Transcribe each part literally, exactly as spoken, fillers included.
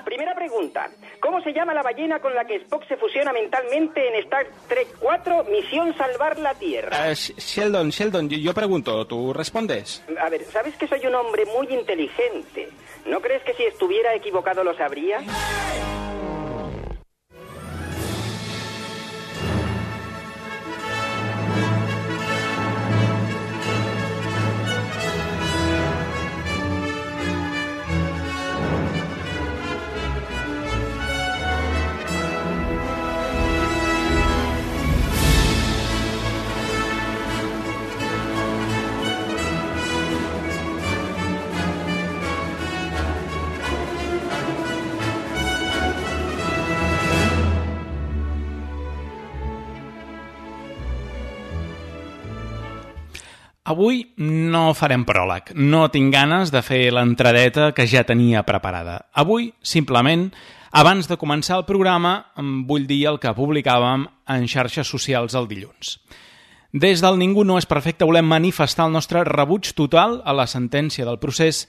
Primera pregunta. ¿Cómo se llama la ballena con la que Spock se fusiona mentalmente en Star Trek cuatro, Misión Salvar la Tierra? Uh, Sheldon, Sheldon, yo, yo pregunto, ¿tú respondes? A ver, ¿sabes que soy un hombre muy inteligente? ¿No crees que si estuviera equivocado lo sabría? Avui no farem pròleg, no tinc ganes de fer l'entradeta que ja tenia preparada. Avui, simplement, abans de començar el programa, vull dir el que publicàvem en xarxes socials el dilluns. Des del Ningú no és perfecte volem manifestar el nostre rebuig total a la sentència del procés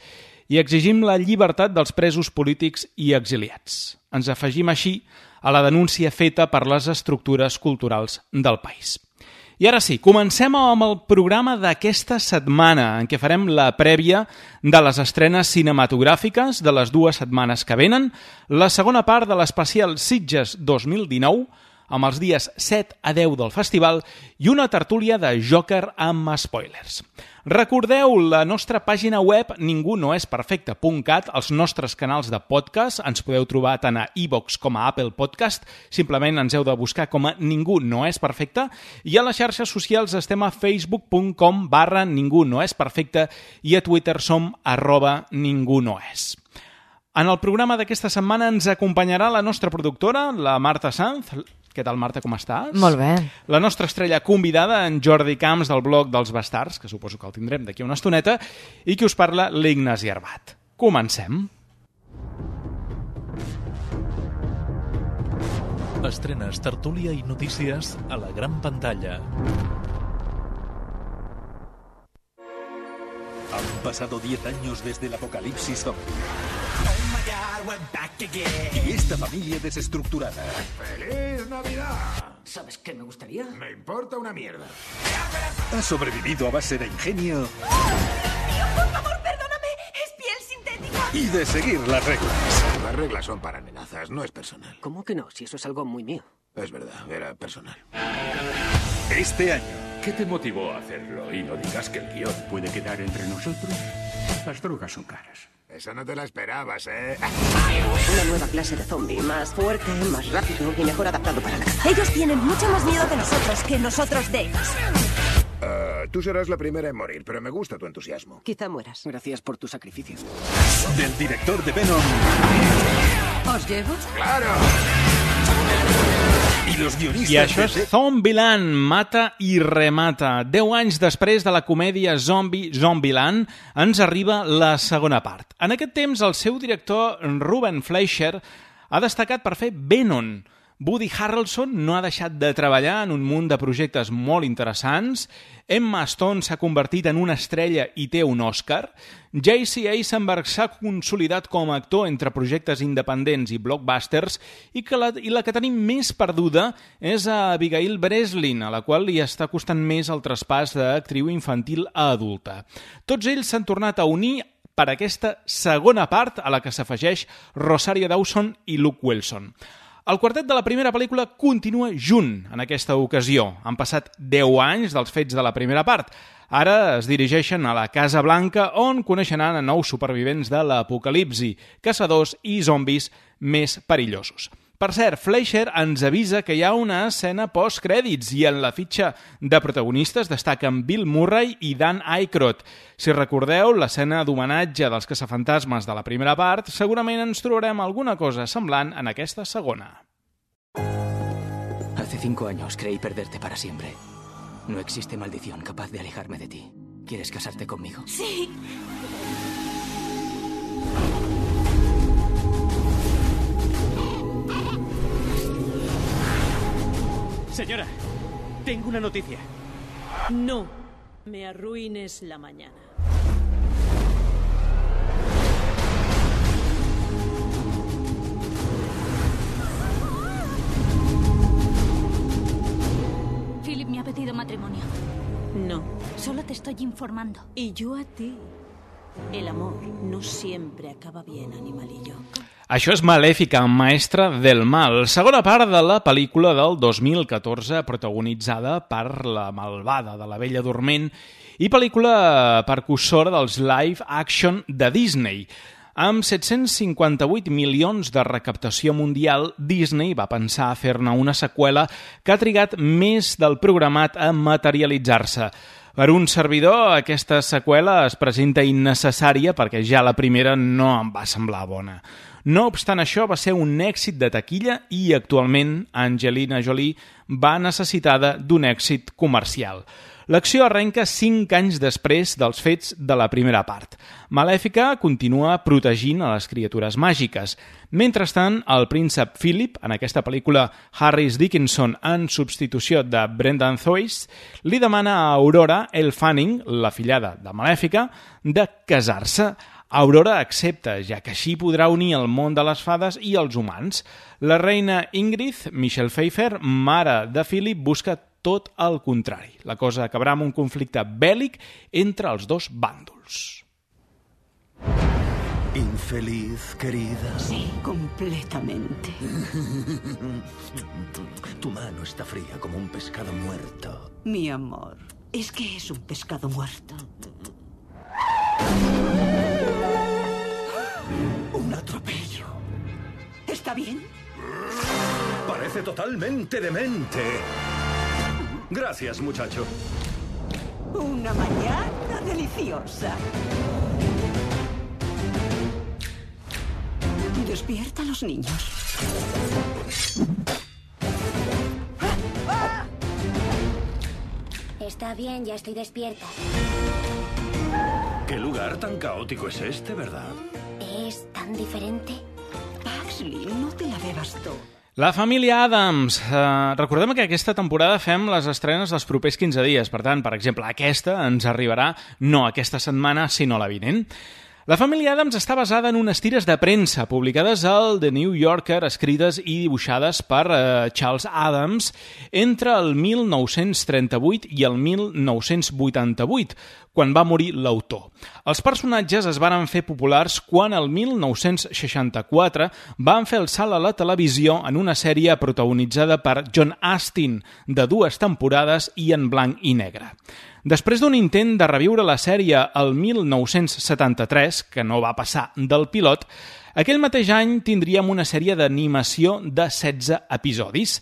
i exigim la llibertat dels presos polítics i exiliats. Ens afegim així a la denúncia feta per les estructures culturals del país. I ara sí, comencem amb el programa d'aquesta setmana, en què farem la prèvia de les estrenes cinematogràfiques de les dues setmanes que venen, la segona part de l'especial Sitges dos mil dinou, amb els dies set a deu del festival, i una tertúlia de Joker amb spoilers. Recordeu la nostra pàgina web ningú no és perfecte punt cat, els nostres canals de podcast, ens podeu trobar tant a iVoox com a Apple Podcast, simplement ens heu de buscar com a Ningú no és perfecte, i a les xarxes socials estem a facebook punt com barra ningú no és perfecte i a Twitter som arroba ningú no és. En el programa d'aquesta setmana ens acompanyarà la nostra productora, la Marta Sanz. Què tal, Marta, com estàs? Molt bé. La nostra estrella convidada, en Jordi Camps, del blog dels Bastards, que suposo que el tindrem d'aquí una estoneta, i qui us parla, l'Ignasi Arbat. Comencem. Estrenes, tertúlia i notícies a la gran pantalla. Han pasado diez años desde el apocalipsis zombie. Y esta familia desestructurada. ¡Feliz Navidad! ¿Sabes qué me gustaría? Me importa una mierda. Ha sobrevivido a base de ingenio. Tío, por favor, perdóname. Es piel sintética. Y de seguir las reglas. Las reglas son para amenazas, no es personal. ¿Cómo que no? Si eso es algo muy mío. Es verdad, era personal. Este año. ¿Qué te motivó a hacerlo? Y no digas que el guión puede quedar entre nosotros. Las drogas son caras. Esa no te la esperabas, ¿eh? Una nueva clase de zombie, más fuerte, más rápido y mejor adaptado para la caza. Ellos tienen mucho más miedo de nosotros que nosotros de ellos. Uh, tú serás la primera en morir, pero me gusta tu entusiasmo. Quizá mueras. Gracias por tu sacrificio. Del director de Venom. ¿Os llevo? ¡Claro! I los guionistes... I això és Zombieland, mata i remata. Deu anys després de la comèdia Zombie Zombieland, ens arriba la segona part. En aquest temps, el seu director, Ruben Fleischer, ha destacat per fer Venom. Woody Harrelson no ha deixat de treballar en un munt de projectes molt interessants. Emma Stone s'ha convertit en una estrella i té un Oscar. J C Eisenberg s'ha consolidat com a actor entre projectes independents i blockbusters i, que la, i la que tenim més perduda és a Abigail Breslin, a la qual li està costant més el traspàs d'actriu infantil a adulta. Tots ells s'han tornat a unir per aquesta segona part a la que s'afegeix Rosario Dawson i Luke Wilson. El quartet de la primera pel·lícula continua junt en aquesta ocasió. Han passat deu anys dels fets de la primera part. Ara es dirigeixen a la Casa Blanca, on coneixeran a nous supervivents de l'apocalipsi, caçadors i zombis més perillosos. Per cert, Fleischer ens avisa que hi ha una escena post-crèdits i en la fitxa de protagonistes destaquen Bill Murray i Dan Aykroyd. Si recordeu l'escena d'homenatge dels caçafantasmes de la primera part, segurament ens trobarem alguna cosa semblant en aquesta segona. Hace cinco años creí perderte para siempre. No existe maldición capaz de alejarme de ti. ¿Quieres casarte conmigo? Sí. Señora, tengo una noticia. No me arruines la mañana. estoy informando. Y yo a ti. El amor no siempre acaba bien, animalillo. Això és Malèfica, maestra del mal, segona part de la pel·lícula del dos mil catorze, protagonitzada per la malvada de la Bella Dorment i pel·lícula percussora dels live action de Disney. Amb set-cents cinquanta-vuit milions de recaptació mundial, Disney va pensar a fer-ne una seqüela que ha trigat més del programat a materialitzar-se. Per un servidor, aquesta seqüela es presenta innecessària perquè ja la primera no em va semblar bona. No obstant això, va ser un èxit de taquilla i actualment Angelina Jolie va necessitada d'un èxit comercial. L'acció arrenca cinc anys després dels fets de la primera part. Malèfica continua protegint a les criatures màgiques. Mentrestant, el príncep Philip, en aquesta pel·lícula Harris Dickinson en substitució de Brendan Thwaites, li demana a Aurora Elle Fanning, la fillada de Malèfica, de casar-se. Aurora accepta, ja que així podrà unir el món de les fades i els humans. La reina Ingrid, Michelle Pfeiffer, mare de Philip, busca tot el contrari. La cosa acabarà amb un conflicte bèl·lic entre els dos bàndols. ¿Infeliz, querida? Sí, completamente. Tu mano está fría como un pescado muerto. Mi amor, es que es un pescado muerto. Un atropello. ¿Está bien? Parece totalmente demente. Gracias, muchacho. Una mañana deliciosa. Despierta a los niños. Está bien, ya estoy despierta. ¿Qué lugar tan caótico es este, verdad? ¿Es tan diferente? Paxley, no te la bebas todo. La família Addams. Eh, recordem que aquesta temporada fem les estrenes dels propers quinze dies. Per tant, per exemple, aquesta ens arribarà no aquesta setmana, sinó la vinent. La família Addams està basada en unes tires de premsa publicades al The New Yorker, escrites i dibuixades per eh, Charles Addams entre el mil nou-cents trenta-vuit i el mil nou-cents vuitanta-vuit, quan va morir l'autor. Els personatges es varen fer populars quan el mil nou-cents seixanta-quatre van fer el salt a la televisió en una sèrie protagonitzada per John Astin, de dues temporades i en blanc i negre. Després d'un intent de reviure la sèrie el mil nou-cents setanta-tres, que no va passar del pilot, aquell mateix any tindríem una sèrie d'animació de setze episodis.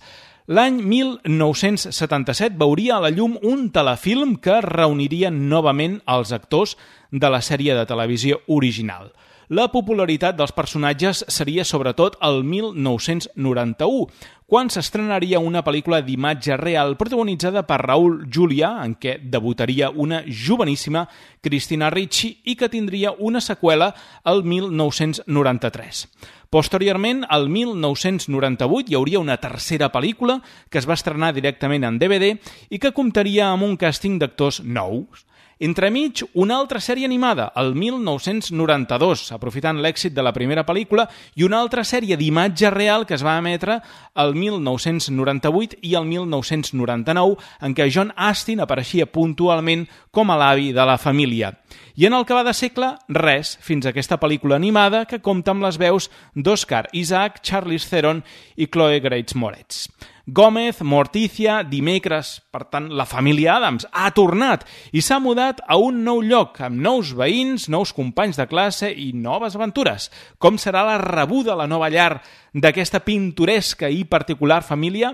L'any mil nou-cents setanta-set veuria a la llum un telefilm que reuniria novament els actors de la sèrie de televisió original. La popularitat dels personatges seria sobretot el mil nou-cents noranta-u, quan s'estrenaria una pel·lícula d'imatge real protagonitzada per Raúl Julià, en què debutaria una joveníssima Christina Ricci i que tindria una seqüela el mil nou-cents noranta-tres. Posteriorment, al mil nou-cents noranta-vuit, hi hauria una tercera pel·lícula que es va estrenar directament en D V D i que comptaria amb un càsting d'actors nous. Entremig, una altra sèrie animada, el mil nou-cents noranta-dos, aprofitant l'èxit de la primera pel·lícula, i una altra sèrie d'imatge real que es va emetre el mil nou-cents noranta-vuit i el mil nou-cents noranta-nou, en què John Astin apareixia puntualment com a l'avi de la família. I en el que va de segle, res, fins a aquesta pel·lícula animada que compta amb les veus d'Oscar Isaac, Charlize Theron i Chloe Grace Moretz. Gómez, Morticia, dimecres, per tant, la família Addams ha tornat i s'ha mudat a un nou lloc, amb nous veïns, nous companys de classe i noves aventures. Com serà la rebuda a la nova llar d'aquesta pintoresca i particular família?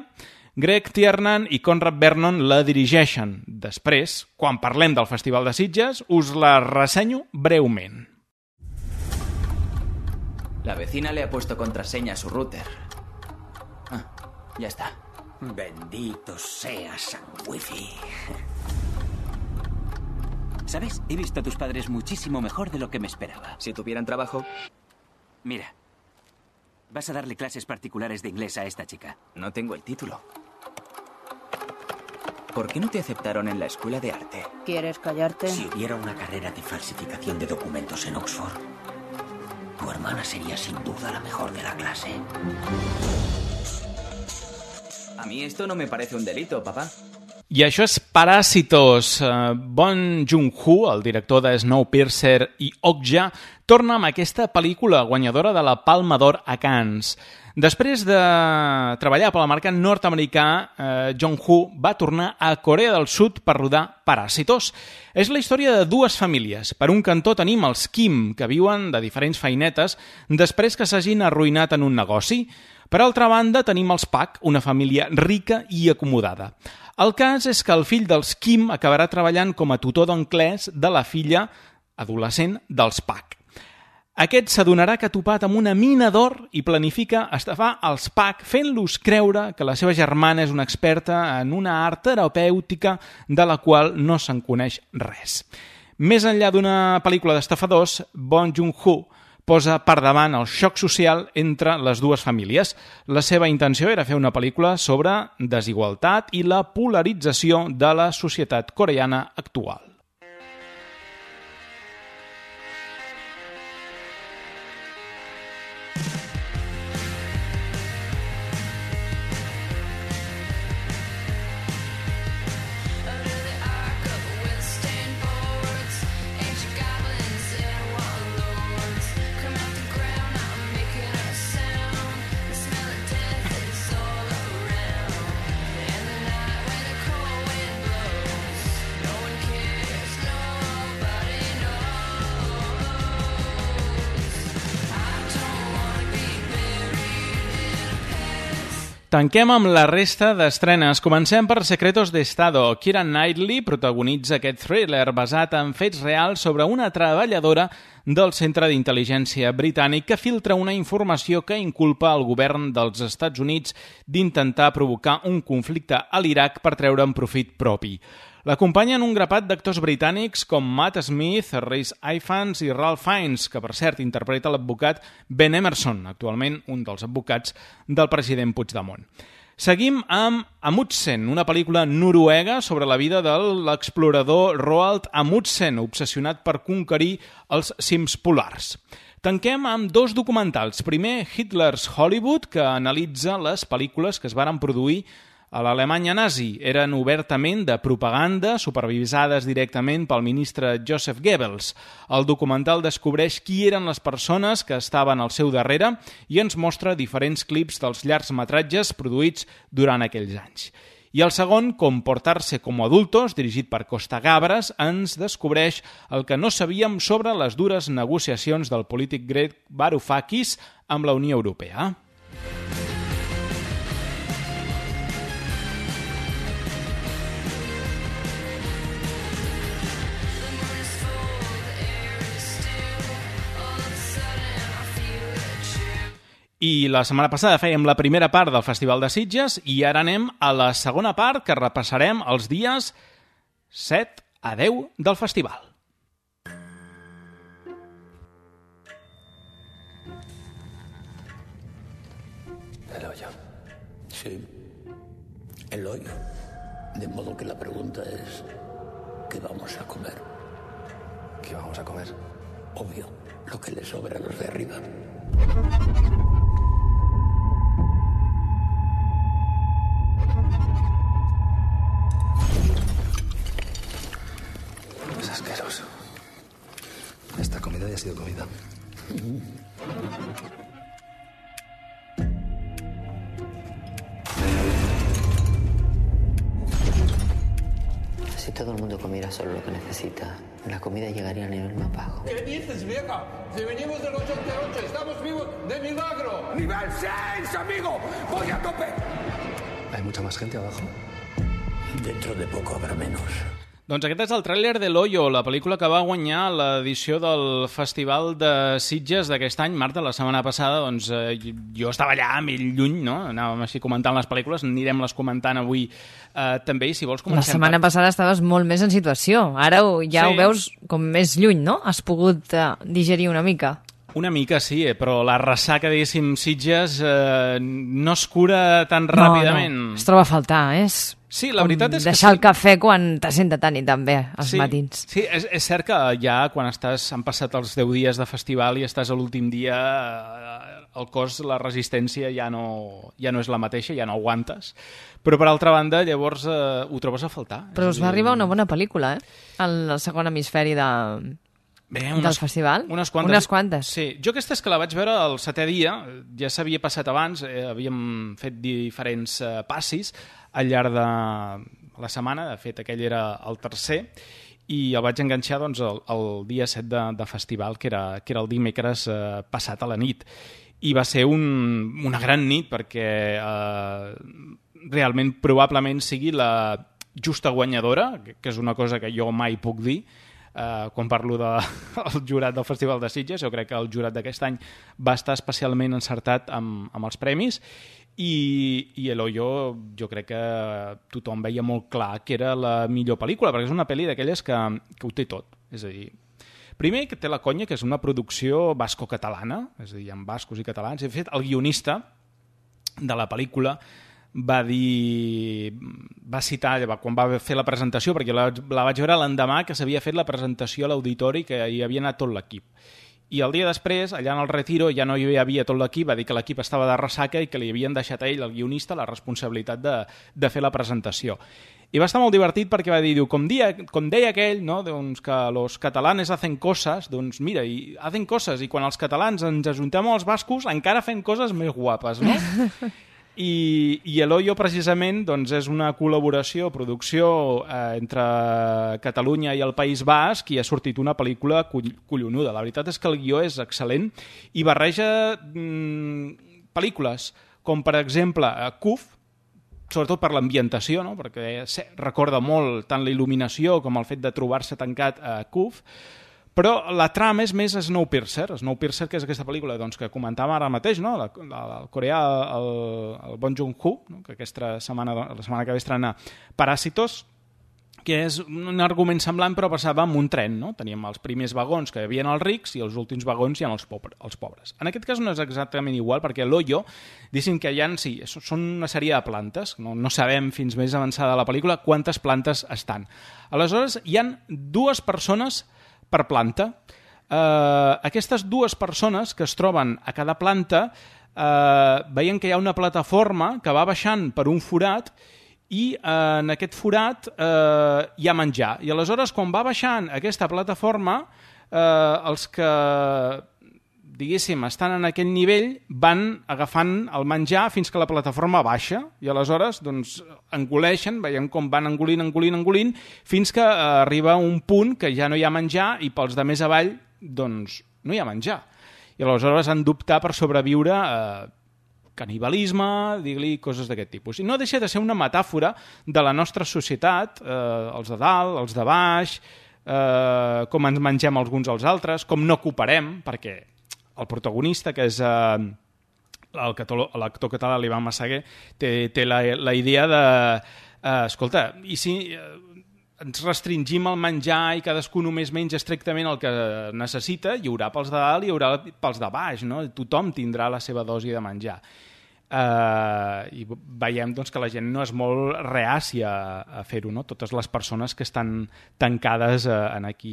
Greg Tiernan i Conrad Vernon la dirigeixen. Després, quan parlem del Festival de Sitges, us la ressenyo breument. La vecina le ha puesto contraseña a su router. Ah, ya está. Bendito sea San Wifi. ¿Sabes? He visto a tus padres muchísimo mejor de lo que me esperaba. Si tuvieran trabajo... Mira, vas a darle clases particulares de inglés a esta chica. No tengo el título. ¿Por qué no te aceptaron en la escuela de arte? ¿Quieres callarte? Si hubiera una carrera de falsificación de documentos en Oxford, tu hermana sería sin duda la mejor de la clase. A mí esto no me parece un delito, papá. I això és Parásitos. Bong Joon-ho, el director de Snowpiercer i Okja, torna amb aquesta pel·lícula guanyadora de la Palma d'Or a Cannes. Després de treballar per al mercat nord-americà, eh, Joon-ho va tornar a Corea del Sud per rodar Parásitos. És la història de dues famílies. Per un cantó tenim els Kim, que viuen de diferents feinetes després que s'hagin arruïnat en un negoci. Per altra banda, tenim els Pak, una família rica i acomodada. El cas és que el fill dels Kim acabarà treballant com a tutor d'anglès de la filla adolescent dels Pak. Aquest s'adonarà que ha topat amb una mina d'or i planifica estafar els Pak fent-los creure que la seva germana és una experta en una art terapèutica de la qual no se'n coneix res. Més enllà d'una pel·lícula d'estafadors, Bong Joon-ho posa per davant el xoc social entre les dues famílies. La seva intenció era fer una pel·lícula sobre desigualtat i la polarització de la societat coreana actual. Tanquem amb la resta d'estrenes. Comencem per Secretos de Estado. Keira Knightley protagonitza aquest thriller basat en fets reals sobre una treballadora del Centre d'Intel·ligència britànic que filtra una informació que inculpa el govern dels Estats Units d'intentar provocar un conflicte a l'Iraq per treure'n profit propi. L'acompanyen un grapat d'actors britànics com Matt Smith, Rhys Ifans i Ralph Fiennes, que per cert interpreta l'advocat Ben Emerson, actualment un dels advocats del president Puigdemont. Seguim amb Amundsen, una pel·lícula noruega sobre la vida de l'explorador Roald Amundsen, obsessionat per conquerir els cims polars. Tanquem amb dos documentals. Primer, Hitler's Hollywood, que analitza les pel·lícules que es varen produir a l'Alemanya nazi. Eren obertament de propaganda, supervisades directament pel ministre Joseph Goebbels. El documental descobreix qui eren les persones que estaven al seu darrere i ens mostra diferents clips dels llargmetratges produïts durant aquells anys. I el segon, Comportarse como adultos, dirigit per Costa Gabras, ens descobreix el que no sabíem sobre les dures negociacions del polític grec Varoufakis amb la Unió Europea. I la setmana passada fèiem la primera part del Festival de Sitges i ara anem a la segona part, que repassarem els dies set a deu del festival. El hoyo. Sí, el hoyo. De modo que la pregunta es, ¿qué vamos a comer? ¿Qué vamos a comer? Obvio, lo que le sobra a los de arriba. Es asqueroso. Esta comida ya ha sido comida. Si todo el mundo comiera solo lo que necesita, la comida llegaría a nivel más bajo. ¿Qué dices, vieja? Si venimos del ochenta y ocho, estamos vivos de milagro. ¡Nivel seis, amigo! ¡Voy a tope! ¿Hay mucha más gente abajo? Dentro de poco habrá menos. Doncs aquest és el tràiler de l'Hoyo, la pel·lícula que va guanyar l'edició del Festival de Sitges d'aquest any. Marta, la setmana passada, doncs, eh, jo estava allà, mil lluny, no? Anàvem així comentant les pel·lícules, anirem-les comentant avui eh, també, i si vols comencem... La setmana per... passada estaves molt més en situació, ara ja sí. Ho veus com més lluny, no? Has pogut eh, digerir una mica. Una mica, sí, eh, però la ressaca, diguéssim, Sitges eh, no es cura tan no, ràpidament. No, es troba a faltar, és... Sí, la veritat és que... Deixar sí. el cafè quan te senta tant i tan bé, als sí, matins. Sí, és, és cert que ja quan estàs, han passat els deu dies de festival i estàs a l'últim dia, el cos, la resistència ja no, ja no és la mateixa, ja no aguantes. Però, per altra banda, llavors eh, ho trobes a faltar. Però us va arribar una bona pel·lícula, eh? El segon hemisferi de... Bé, unes, del festival? Unes quantes. Unes quantes. Sí, jo aquesta és que la vaig veure el setè dia, ja s'havia passat abans, eh, havíem fet diferents eh, passis al llarg de la setmana, de fet aquell era el tercer, i el vaig enganxar doncs, el, el dia set de, de festival, que era, que era el dimecres eh, passat a la nit. I va ser un, una gran nit perquè eh, realment probablement sigui la justa guanyadora, que és una cosa que jo mai puc dir, Uh, quan parlo del de, jurat del Festival de Sitges. Jo crec que el jurat d'aquest any va estar especialment encertat amb, amb els premis i, i El Hoyo jo crec que tothom veia molt clar que era la millor pel·lícula, perquè és una pel·li d'aquelles que, que ho té tot. És a dir, primer que té la conya que és una producció basco-catalana, és a dir, amb bascos i catalans. De fet, el guionista de la pel·lícula va dir, va citar quan va fer la presentació, perquè la, la vaig veure l'endemà que s'havia fet la presentació a l'auditori, que hi havia anat tot l'equip. I el dia després, allà en el retiro, ja no hi havia tot l'equip, va dir que l'equip estava de ressaca i que li havien deixat a ell, el guionista, la responsabilitat de, de fer la presentació. I va estar molt divertit perquè va dir, diu, com, dia, com deia aquell, no, doncs que los catalanes hacen coses, doncs mira, i hacen coses, i quan els catalans ens ajuntem amb els bascos encara fem coses més guapes, no? I, i El Hoyo precisament doncs, és una col·laboració, producció eh, entre Catalunya i el País Basc, i ha sortit una pel·lícula collonuda. La veritat és que el guió és excel·lent i barreja mm, pel·lícules com per exemple C U F, sobretot per l'ambientació, no? Perquè recorda molt tant la il·luminació com el fet de trobar-se tancat a C U F, però la trama és més Snowpiercer. Snowpiercer, que és aquesta pel·lícula doncs, que comentàvem ara mateix, no? la, la, el coreà, el, el Bong Joon-ho, no? que aquesta setmana, la setmana que ve estrena Paràsitos, que és un argument semblant però passava amb un tren. No? Teníem els primers vagons que hi havia els rics i els últims vagons hi ha els, pobres, els pobres. En aquest cas no és exactament igual, perquè l'Hoyo, diguéssim que hi ha, sí, són una sèrie de plantes, no, no sabem fins més avançada la pel·lícula quantes plantes estan. Aleshores, hi han dues persones per planta. Uh, aquestes dues persones que es troben a cada planta uh, veien que hi ha una plataforma que va baixant per un forat i uh, en aquest forat uh, hi ha menjar. I aleshores, quan va baixant aquesta plataforma, uh, els que diguéssim, estan en aquell nivell, van agafant el menjar fins que la plataforma baixa i aleshores doncs, engoleixen, veiem com van engolint, engolint, engolint, fins que eh, arriba un punt que ja no hi ha menjar i pels de més avall doncs, no hi ha menjar. I aleshores han d'optar per sobreviure eh, canibalisme, dir-li coses d'aquest tipus. I no deixa de ser una metàfora de la nostra societat, eh, els de dalt, els de baix, eh, com ens mengem els uns als altres, com no cooperem, perquè el protagonista, que és eh, l'actor català l'Ivan Massaguer, té, té la, la idea de eh, escolta, i si eh, ens restringim el menjar i cadascú només menja estrictament el que necessita, hi haurà pels de dalt i hi haurà pels de baix, no? Tothom tindrà la seva dosi de menjar. Uh, i veiem doncs, que la gent no és molt reàcia a, a fer-ho, no? Totes les persones que estan tancades uh, en aquí.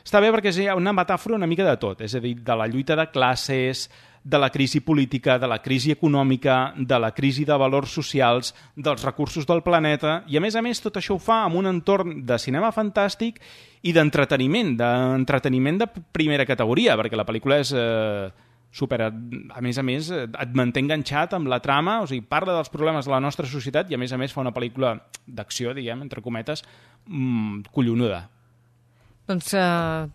Està bé perquè és una metàfora una mica de tot, és a dir, de la lluita de classes, de la crisi política, de la crisi econòmica, de la crisi de valors socials, dels recursos del planeta, i a més a més tot això ho fa amb un entorn de cinema fantàstic i d'entreteniment, d'entreteniment de primera categoria, perquè la pel·lícula és... Eh, super, a més a més, et manté enganxat amb la trama, o sigui, parla dels problemes de la nostra societat i a més a més fa una pel·lícula d'acció, diguem, entre cometes, mmm, collonuda. Doncs uh,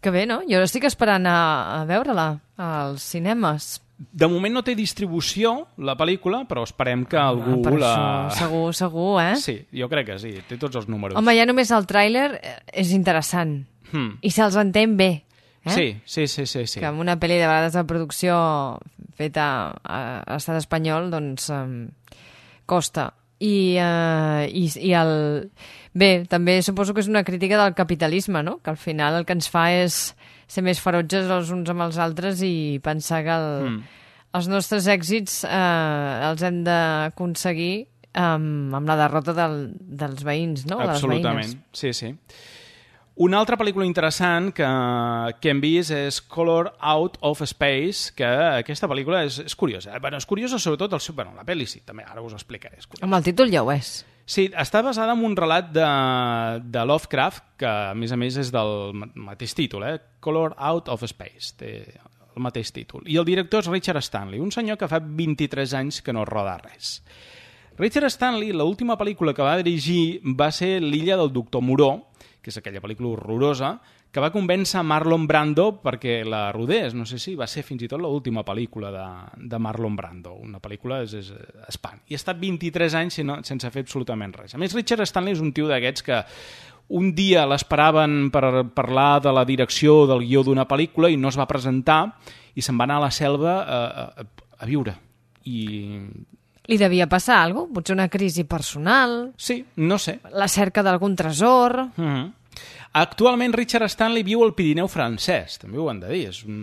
que bé, no? Jo estic esperant a, a veure-la als cinemes. De moment no té distribució, la pel·lícula, però esperem que ah, algú per la... Això, segur, segur, eh? Sí, jo crec que sí, té tots els números. Home, ja només el tràiler és interessant. Hmm. I se'ls entén bé. Eh? Sí, sí, sí, sí, sí. Que amb una pel·li de vegades de producció feta a l'estat espanyol, doncs um, costa. I, uh, i, i el... Bé, també suposo que és una crítica del capitalisme, no? Que al final el que ens fa és ser més ferotges els uns amb els altres i pensar que el, mm. els nostres èxits eh, els hem d'aconseguir um, amb la derrota del, dels veïns, no? Absolutament, sí, sí. Una altra pel·lícula interessant que, que hem vist és Color Out of Space, que aquesta pel·lícula és, és curiosa. Bueno, és curiosa sobretot el seu... Bueno, la pel·li sí, també, ara us ho explicaré. Amb el títol ja ho és. Sí, està basada en un relat de, de Lovecraft, que a més a més és del mateix títol, eh? Color Out of Space, té el mateix títol. I el director és Richard Stanley, un senyor que fa vint-i-tres anys que no roda res. Richard Stanley, l'última pel·lícula que va dirigir va ser L'illa del doctor Moreau, que és aquella pel·lícula horrorosa, que va convèncer Marlon Brando perquè la rodés. No sé si va ser fins i tot l'última pel·lícula de, de Marlon Brando. Una pel·lícula és, és espant. I ha estat vint-i-tres anys sense fer absolutament res. A més, Richard Stanley és un tio d'aquests que un dia l'esperaven per parlar de la direcció del guió d'una pel·lícula i no es va presentar i se'n va anar a la selva a, a, a viure. I... Li devia passar alguna cosa? Potser una crisi personal? Sí, no sé. La cerca d'algun tresor? Mm-hmm. Actualment Richard Stanley viu al Pirineu francès, també ho han de dir, és un...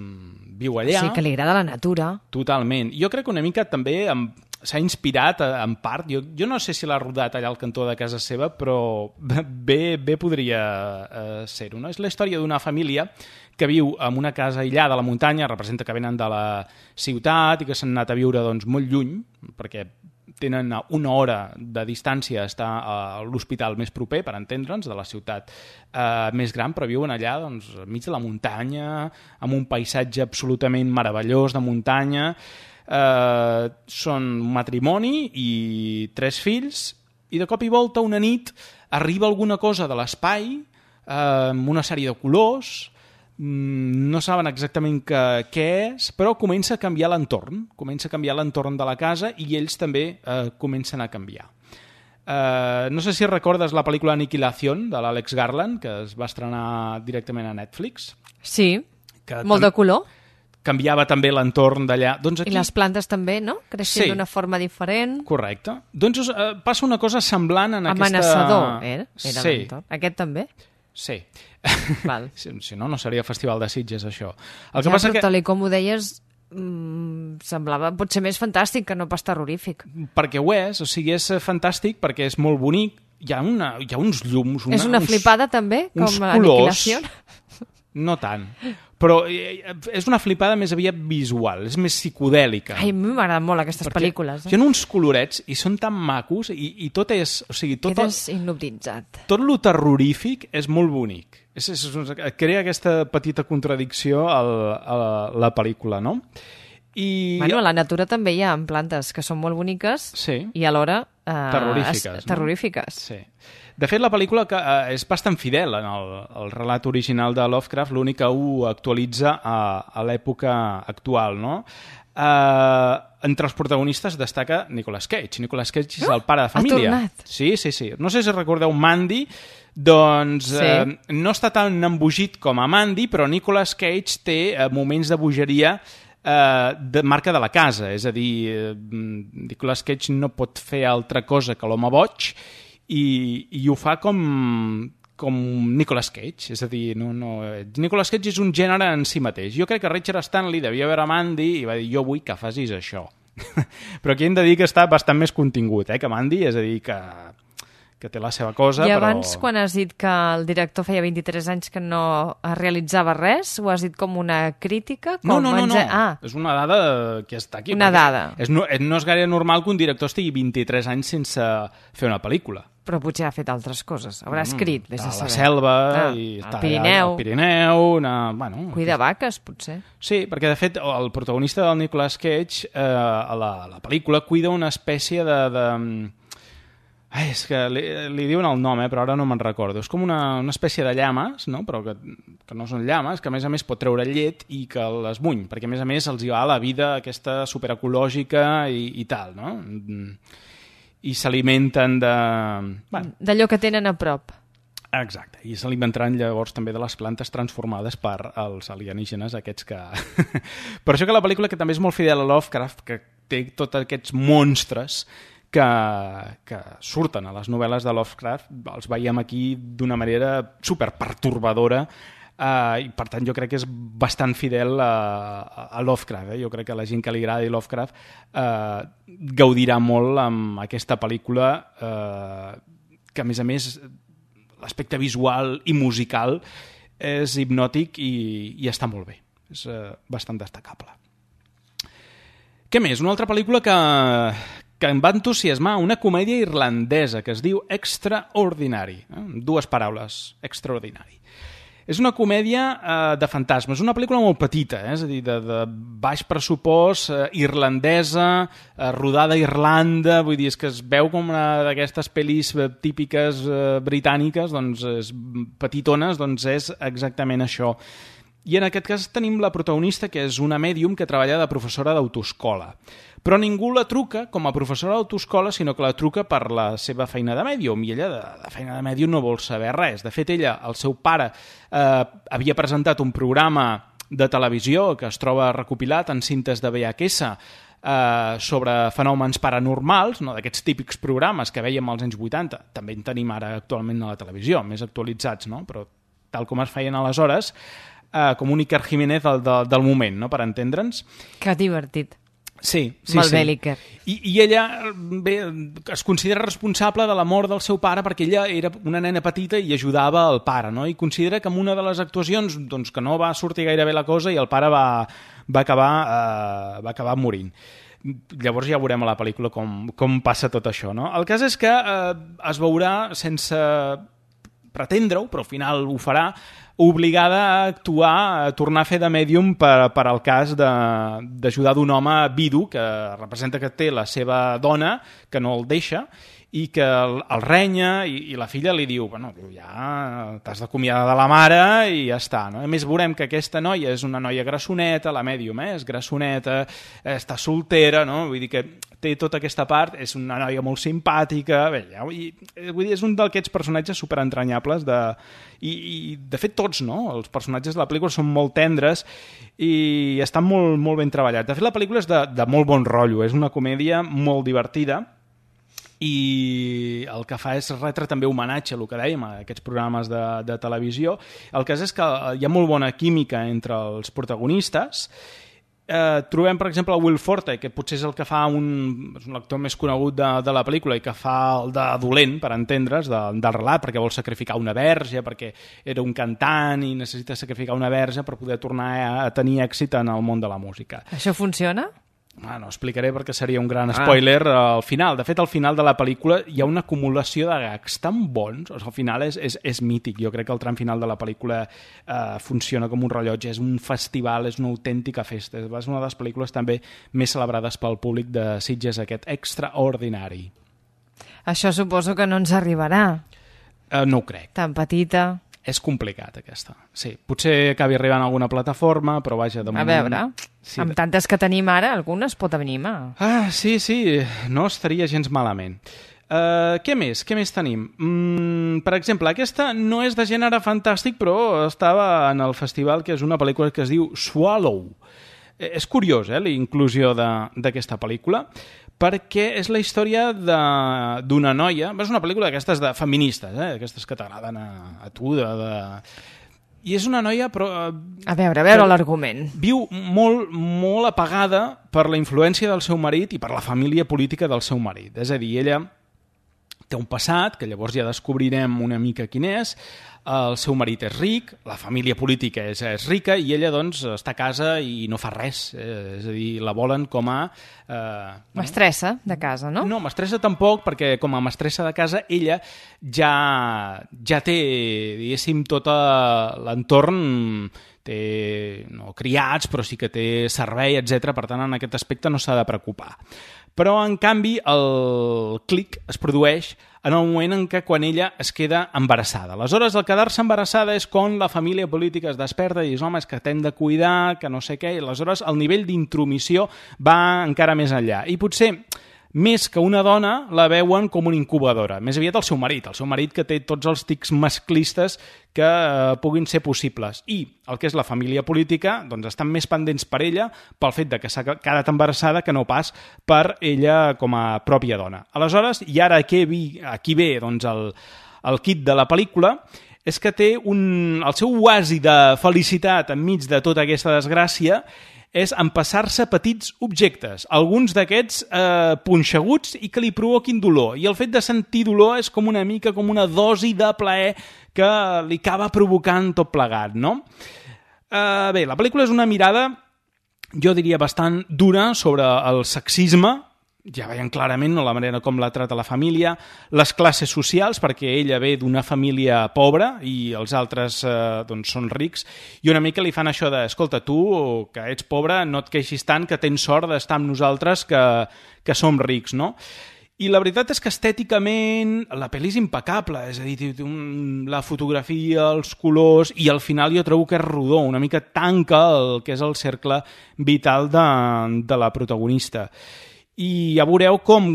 viu allà. Sí, que li agrada la natura. Totalment. Jo crec que una mica també amb... s'ha inspirat en part, jo, jo no sé si l'ha rodat allà al cantó de casa seva, però bé, bé podria eh, ser-ho. No? És la història d'una família que viu en una casa aïllada a la muntanya, representa que venen de la ciutat i que s'han anat a viure doncs, molt lluny, perquè tenen una hora de distància a estar a l'hospital més proper, per entendre'ns, de la ciutat eh, més gran, però viuen allà doncs, enmig de la muntanya, amb un paisatge absolutament meravellós de muntanya. Eh, són un matrimoni i tres fills, i de cop i volta una nit arriba alguna cosa de l'espai, eh, amb una sèrie de colors, no saben exactament que, què és, però comença a canviar l'entorn, comença a canviar l'entorn de la casa i ells també eh, comencen a canviar. Eh, no sé si recordes la pel·lícula Aniquilación de l'Àlex Garland, que es va estrenar directament a Netflix. Sí, molt de color. Canviava també l'entorn d'allà. Doncs aquí... I les plantes també, no? Creixent sí. D'una forma diferent. Correcte. Doncs eh, passa una cosa semblant en Amenaçador, aquesta... era, era sí. l'entorn. Aquest també? Sí. Val. Si, si no, no seria Festival de Sitges, això. El ja, que passa però que... tal com ho deies, mmm, semblava potser més fantàstic que no pas terrorífic. Perquè ho és, o sigui, és fantàstic perquè és molt bonic, hi ha, una, hi ha uns llums... Una, és una uns, flipada també, com l'Aniquilació? No tant, però és una flipada més aviat visual, és més psicodèlica. Ai, a mi m'agraden molt aquestes perquè pel·lícules. Eh? Hi ha uns colorets i són tan macos i, i tot és... O sigui, tot Quedes el, hipnotitzat. Tot lo terrorífic és molt bonic. És, és, és, crea aquesta petita contradicció al, a la, la pel·lícula, no? I... Bueno, a la natura també hi ha plantes que són molt boniques sí. i alhora... Eh, terrorífiques. Es, terrorífiques. No? Sí. De fet, la pel·lícula que, eh, és bastant fidel en el, el relat original de Lovecraft, l'únic que ho actualitza a, a l'època actual, no? Eh, entre els protagonistes destaca Nicolas Cage. Nicolas Cage és oh, el pare de família. Ha tornat. Sí, sí, sí. No sé si recordeu Mandy, doncs sí. eh, no està tan embogit com a Mandy, però Nicolas Cage té eh, moments de bogeria eh, de marca de la casa. És a dir, eh, Nicolas Cage no pot fer altra cosa que l'home boig, I, i ho fa com, com Nicolas Cage, és a dir, no, no, Nicolas Cage és un gènere en si mateix. Jo crec que Richard Stanley devia veure Mandy i va dir, jo vull que facis això. Però aquí hem de dir que està bastant més contingut, eh, que Mandy, és a dir, que, que té la seva cosa, I però... abans, quan has dit que el director feia vint-i-tres anys que no realitzava res, ho has dit com una crítica? Com no, no, no, no. Ah. És una dada que està aquí. Una dada. És, no, no és gaire normal que un director estigui vint-i-tres anys sense fer una pel·lícula. Però potser ha fet altres coses. Haurà escrit, vés a saber. La selva, ah, i el està Pirineu. El Pirineu, una... Bueno, Cuida vaques, potser. Sí, perquè de fet el protagonista del Nicolas Cage eh, a la, la pel·lícula cuida una espècie de... de... Ai, és que li, li diuen el nom, eh, però ara no me'n recordo. És com una, una espècie de llames, no? Però que, que no són llames, que a més a més pot treure llet i que les muny, perquè a més a més els hi va la vida aquesta superecològica i, i tal, no? I s'alimenten de... Bueno. D'allò que tenen a prop. Exacte, i s'alimentaran llavors també de les plantes transformades per als alienígenes aquests que... Per això que la pel·lícula, que també és molt fidel a Lovecraft, que té tots aquests monstres que, que surten a les novel·les de Lovecraft, els veiem aquí d'una manera superpertorbadora, eh, i per tant jo crec que és bastant fidel a, a Lovecraft. Eh? Jo crec que la gent que li agradi Lovecraft eh, gaudirà molt amb aquesta pel·lícula, eh, que a més a més l'aspecte visual i musical és hipnòtic i, i està molt bé. És uh, bastant destacable. Què més? Una altra pel·lícula que, que em va entusiasmar, una comèdia irlandesa que es diu Extraordinary. Eh? Dues paraules, Extraordinary. És una comèdia eh, de fantasmes, una pel·lícula molt petita, eh? És a dir, de, de baix pressupost, eh, irlandesa, eh, rodada a Irlanda, vull dir, és que es veu com una d'aquestes pel·lis típiques eh, britàniques, doncs, és, petitones, doncs és exactament això. I en aquest cas tenim la protagonista, que és una mèdium que treballa de professora d'autoescola. Però ningú la truca com a professora d'autoescola, sinó que la truca per la seva feina de mèdium, i ella de, de feina de mèdium no vol saber res. De fet, ella, el seu pare, eh, havia presentat un programa de televisió que es troba recopilat en cintes de V H S eh, sobre fenòmens paranormals, no? D'aquests típics programes que vèiem als anys vuitanta. També en tenim ara actualment a la televisió, més actualitzats, no? Però tal com es feien aleshores, Uh, com un Iker Jiménez del, del, del moment, no? Per entendre'ns. Que divertit. Sí, sí, Molt sí. bé, l'Iker. I, I ella bé, es considera responsable de la mort del seu pare perquè ella era una nena petita i ajudava el pare, no? I considera que en una de les actuacions doncs, que no va sortir gaire bé la cosa i el pare va, va, acabar, uh, va acabar morint. Llavors ja veurem a la pel·lícula com, com passa tot això, no? El cas és que uh, es veurà sense pretendre-ho, però al final ho farà, obligada a actuar, a tornar a fer de mèdium per, per al cas d'ajudar d'un home vidu que representa que té la seva dona, que no el deixa, i que el, el renya, i, i la filla li diu, bueno, ja t'has d'acomiadar de la mare i ja està, no? A més, veurem que aquesta noia és una noia grassoneta, la mèdium, eh? És grassoneta, està soltera, no? Vull dir que té tota aquesta part, és una noia molt simpàtica, bé, ja, i, vull dir, és un d'aquests personatges superentranyables de... I, i de fet tots, no? Els personatges de la pel·lícula són molt tendres i estan molt, molt ben treballats. De fet, la pel·lícula és de, de molt bon rotllo, és una comèdia molt divertida i el que fa és retre també homenatge a el que dèiem, a aquests programes de, de televisió. El cas és que hi ha molt bona química entre els protagonistes. Eh, trobem, per exemple, Will Forte, que potser és el que fa un, és un actor més conegut de, de la pel·lícula i que fa el de dolent, per entendre's, de, del relat, perquè vol sacrificar una verge, perquè era un cantant i necessita sacrificar una verge per poder tornar a, a tenir èxit en el món de la música. Això funciona? Ah, no explicaré perquè seria un gran spoiler ah. al final. De fet, al final de la pel·lícula hi ha una acumulació de gags tan bons, o sigui, al final és, és, és mític. Jo crec que el tram final de la pel·lícula eh, funciona com un rellotge, és un festival, és una autèntica festa. És una de les pel·lícules també més celebrades pel públic de Sitges, aquest Extraordinari. Això suposo que no ens arribarà. Eh, no ho crec. Tan petita... És complicat, aquesta. Sí, potser acabi arribant a alguna plataforma, però vaja, de moment... A veure, sí. Amb tantes que tenim ara, algunes pot animar. Ah, sí, sí, no estaria gens malament. Uh, què més? Què més tenim? Mm, per exemple, aquesta no és de gènere fantàstic, però estava en el festival, que és una pel·lícula que es diu Swallow. Eh, és curiós, eh, la inclusió d'aquesta pel·lícula, perquè és la història d'una noia, és una pel·lícula d'aquestes de feministes, eh? Aquestes que t'agraden a, a tu, de, de... i és una noia però... A veure, a veure l'argument. Viu molt, molt apagada per la influència del seu marit i per la família política del seu marit. És a dir, ella té un passat, que llavors ja descobrirem una mica quin és, el seu marit és ric, la família política és, és rica i ella doncs està a casa i no fa res, eh, és a dir, la volen com a... Eh, mestressa de casa, no? No, mestressa tampoc, perquè com a mestressa de casa ella ja, ja té, diguéssim, tot l'entorn, té no criats, però sí que té servei, etcètera. Per tant, en aquest aspecte no s'ha de preocupar. Però, en canvi, el clic es produeix en el moment en què quan ella es queda embarassada. Aleshores, el quedar-se embarassada és quan la família política es desperta i dius, home, és que t'hem de cuidar, que no sé què, i aleshores el nivell d'intromissió va encara més enllà. I potser, més que una dona, la veuen com una incubadora. Més aviat el seu marit, el seu marit que té tots els tics masclistes que eh, puguin ser possibles. I el que és la família política, doncs estan més pendents per ella pel fet de que s'ha quedat embarassada que no pas per ella com a pròpia dona. Aleshores, i ara aquí, aquí ve doncs, el, el kit de la pel·lícula, és que té un, el seu oasi de felicitat enmig de tota aquesta desgràcia és empassar-se petits objectes, alguns d'aquests eh, punxeguts i que li provoquin dolor. I el fet de sentir dolor és com una mica com una dosi de plaer que li acaba provocant tot plegat, no? Eh, bé, la pel·lícula és una mirada, jo diria, bastant dura sobre el sexisme. Ja veiem clarament, no, la manera com la trata la família, les classes socials, perquè ella ve d'una família pobra i els altres eh, doncs són rics, i una mica li fan això de, escolta, tu, que ets pobre, no et queixis tant, que tens sort d'estar amb nosaltres que, que som rics, no? I la veritat és que estèticament la pel·li és impecable, és a dir, un, la fotografia, els colors, i al final jo trobo que és rodó, una mica tanca el que és el cercle vital de, de la protagonista. I ja veureu com,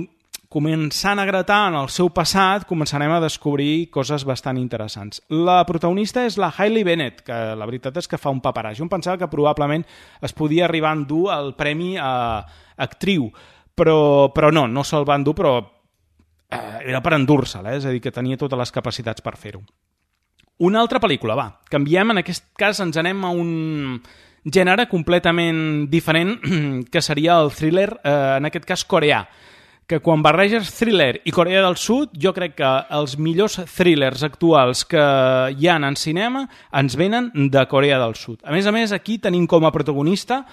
començant a gratar en el seu passat, començarem a descobrir coses bastant interessants. La protagonista és la Hailey Bennett, que la veritat és que fa un paperàs. Jo em pensava que probablement es podia arribar a endur el premi a actriu, però, però no, no se'l va endur, però eh, era per endur-se'l, eh? És a dir, que tenia totes les capacitats per fer-ho. Una altra pel·lícula, va. Canviem, en aquest cas ens anem a un gènere completament diferent, que seria el thriller, eh, en aquest cas coreà, que quan barreges thriller i Corea del Sud, jo crec que els millors thrillers actuals que hi ha en cinema ens venen de Corea del Sud. A més a més, aquí tenim com a protagonista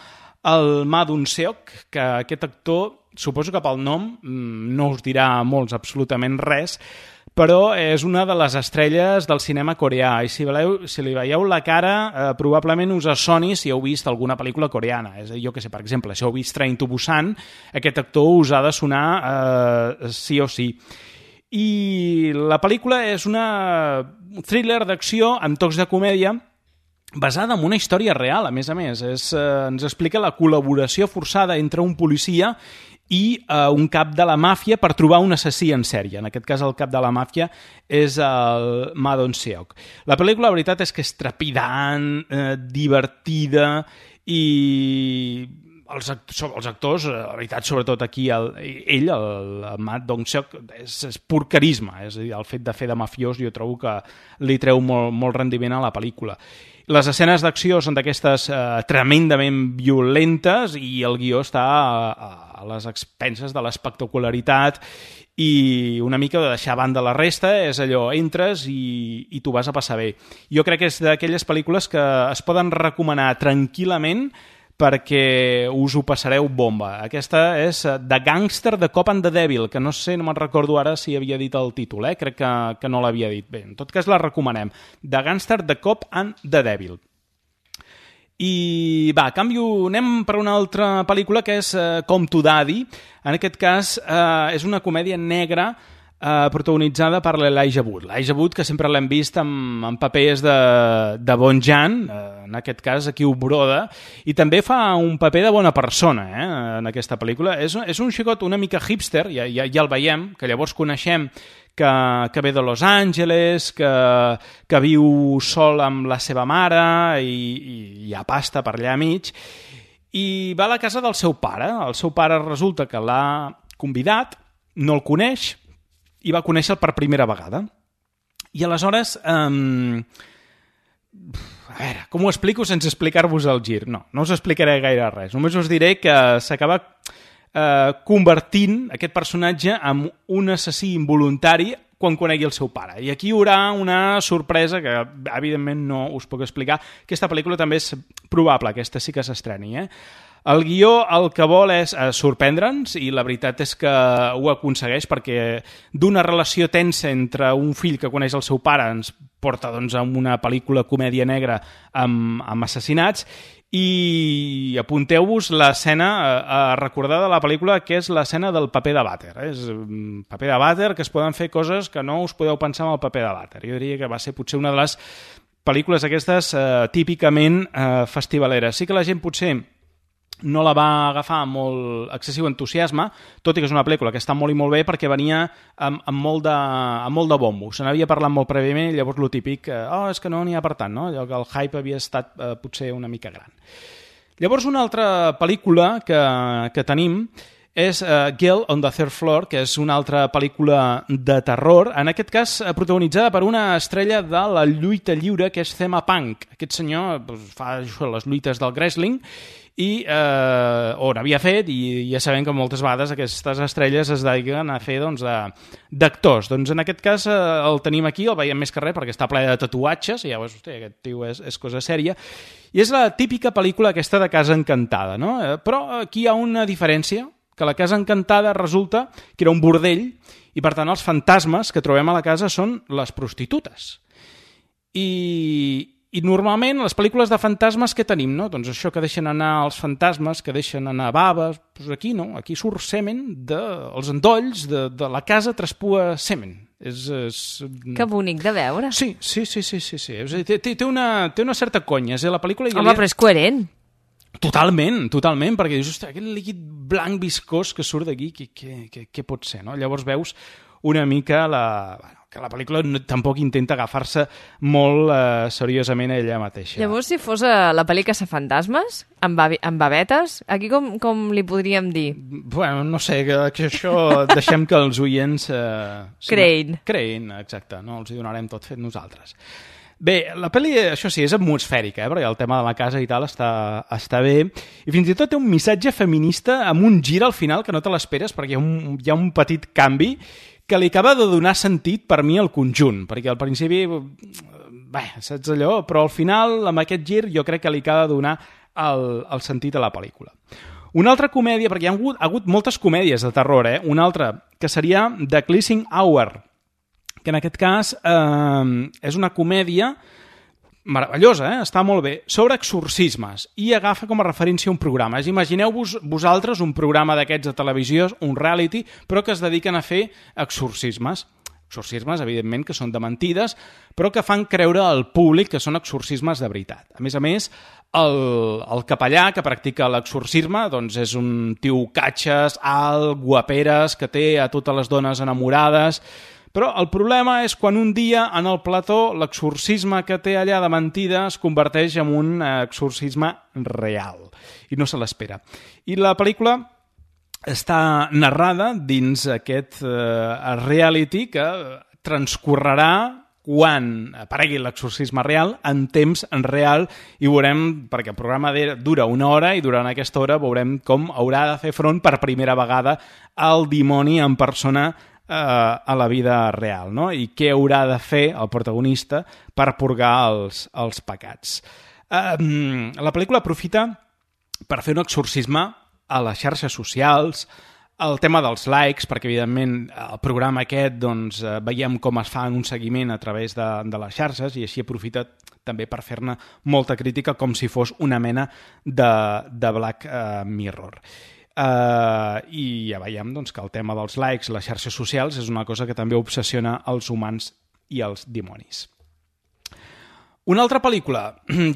el Ma Dong-seok, que aquest actor, suposo que pel nom no us dirà molts absolutament res, però és una de les estrelles del cinema coreà, i si, veleu, si li veieu la cara, eh, probablement us soni si heu vist alguna pel·lícula coreana. És a dir, jo que sé, per exemple, si heu vist Train to Busan, aquest actor us ha de sonar eh, sí o sí. I la pel·lícula és una thriller d'acció amb tocs de comèdia, basada en una història real, a més a més. És, eh, ens explica la col·laboració forçada entre un policia i uh, un cap de la màfia per trobar un assassí en sèrie. En aquest cas, el cap de la màfia és el Ma Dong-seok. La pel·lícula, la veritat, és que és trepidant, eh, divertida, i els actors, els actors, la veritat, sobretot aquí, el, ell, el, el Ma Dong-seok, és, és pur carisma. És a dir, el fet de fer de mafiós jo trobo que li treu molt, molt rendiment a la pel·lícula. Les escenes d'acció són d'aquestes eh, tremendament violentes i el guió està a, a les expenses de l'espectacularitat i una mica de deixar a banda la resta. És allò, entres i, i t'ho vas a passar bé. Jo crec que és d'aquelles pel·lícules que es poden recomanar tranquil·lament perquè us ho passareu bomba. Aquesta és The Gangster, The Cop and the Devil, que no sé, no me'n recordo ara si havia dit el títol, eh? Crec que, que no l'havia dit. Bé, en tot cas la recomanem. The Gangster, The Cop and the Devil. I va, canvio, anem per una altra pel·lícula que és uh, Come to Daddy. En aquest cas uh, és una comèdia negra Uh, protagonitzada per l'Elijah Wood. L'Elijah Wood, que sempre l'hem vist amb, amb papers de, de bon Jan, uh, en aquest cas aquí ho broda, i també fa un paper de bona persona, eh, en aquesta pel·lícula. És, és un xicot una mica hipster, ja, ja, ja el veiem, que llavors coneixem que, que ve de Los Angeles, que, que viu sol amb la seva mare i, i hi ha pasta per allà a mig, i va a la casa del seu pare. El seu pare resulta que l'ha convidat, no el coneix, i va conèixer-el per primera vegada. I aleshores, um, a veure, com ho explico sense explicar-vos el gir? No, no us explicaré gaire res. Només us diré que s'acaba uh, convertint aquest personatge en un assassí involuntari quan conegui el seu pare. I aquí hi haurà una sorpresa que, evidentment, no us puc explicar. Aquesta pel·lícula també és probable, aquesta sí que s'estreni, eh? El guió el que vol és eh, sorprendre'ns, i la veritat és que ho aconsegueix, perquè d'una relació tensa entre un fill que coneix el seu pare ens porta doncs, a una pel·lícula comèdia negra amb, amb assassinats. I apunteu-vos l'escena a recordar de la pel·lícula, que és l'escena del paper de vàter. És un paper de vàter que es poden fer coses que no us podeu pensar amb el paper de vàter. Jo diria que va ser potser una de les pel·lícules aquestes eh, típicament eh, festivaleres. Sí que la gent potser no la va agafar amb molt excessiu entusiasme, tot i que és una pel·lícula que està molt i molt bé perquè venia amb, amb, molt, de, amb molt de bombo. Se n'havia parlat molt prèviament i llavors lo típic, eh, oh, és que no n'hi ha per tant, no? Allò que el hype havia estat eh, potser una mica gran. Llavors una altra pel·lícula que, que tenim és uh, Girl on the Third Floor, que és una altra pel·lícula de terror, en aquest cas protagonitzada per una estrella de la lluita lliure, que és Thema Punk. Aquest senyor doncs, fa això, les lluites del wrestling, i eh, o n'havia fet, i ja sabem que moltes vegades aquestes estrelles es dediquen a fer doncs, d'actors. Doncs en aquest cas eh, el tenim aquí, el veiem més que res perquè està ple de tatuatges, i ja veus, hosti, aquest tio és, és cosa sèria, i és la típica pel·lícula aquesta de Casa Encantada, no? Eh, però aquí hi ha una diferència, que la Casa Encantada resulta que era un bordell, i per tant els fantasmes que trobem a la casa són les prostitutes. I... I normalment, les pel·lícules de fantasmes que tenim, no? Doncs això que deixen anar els fantasmes, que deixen anar baves, doncs aquí no, aquí surt semen dels de, endolls de, de la casa traspua semen. És, és... Que bonic de veure. Sí, sí, sí, sí, sí, sí. Té, té, té, una, té una certa conya, eh? La pel·lícula... Home, però és coherent. Totalment, totalment, perquè dius, ostres, aquest líquid blanc viscós que surt d'aquí, què, què, què, què pot ser, no? Llavors veus una mica la... Bueno, que la pel·lícula no, tampoc intenta agafar-se molt eh, seriosament a ella mateixa. Llavors, si fos eh, la pel·li Caçafantasmes, amb, babi, amb babetes, aquí com, com li podríem dir? Bueno, no sé, que, que això deixem que els oients... Eh, creïn. Creïn, exacte, no els hi donarem tot fet nosaltres. Bé, la pel·li, això sí, és atmosfèrica, eh, perquè el tema de la casa i tal està, està bé, i fins i tot té un missatge feminista amb un gir al final que no te l'esperes, perquè hi ha un, hi ha un petit canvi que li acaba de donar sentit per mi al conjunt, perquè al principi, bé, saps allò, però al final, amb aquest gir, jo crec que li acaba de donar el, el sentit a la pel·lícula. Una altra comèdia, perquè hi ha hagut, ha hagut moltes comèdies de terror, eh? Una altra, que seria The Cleansing Hour, que en aquest cas eh, és una comèdia meravellosa, eh? Està molt bé, sobre exorcismes, i agafa com a referència un programa. Imagineu-vos vosaltres un programa d'aquests de televisió, un reality, però que es dediquen a fer exorcismes. Exorcismes, evidentment, que són de mentides, però que fan creure al públic que són exorcismes de veritat. A més a més, el, el capellà que practica l'exorcisme doncs és un tio catxes, alt, guaperes, que té a totes les dones enamorades. Però el problema és quan un dia en el plató l'exorcisme que té allà de mentida es converteix en un exorcisme real i no se l'espera. I la pel·lícula està narrada dins aquest eh, reality que transcorrerà quan aparegui l'exorcisme real, en temps en real, i veurem, perquè el programa dura una hora i durant aquesta hora veurem com haurà de fer front per primera vegada al dimoni en persona a la vida real, no? I què haurà de fer el protagonista per purgar els, els pecats. Um, la pel·lícula aprofita per fer un exorcisme a les xarxes socials, el tema dels likes, perquè evidentment el programa aquest doncs, veiem com es fa un seguiment a través de, de les xarxes, i així aprofita també per fer-ne molta crítica com si fos una mena de, de Black uh, Mirror. Uh, i ja veiem doncs, que el tema dels likes, les xarxes socials, és una cosa que també obsessiona els humans i els dimonis. Una altra pel·lícula,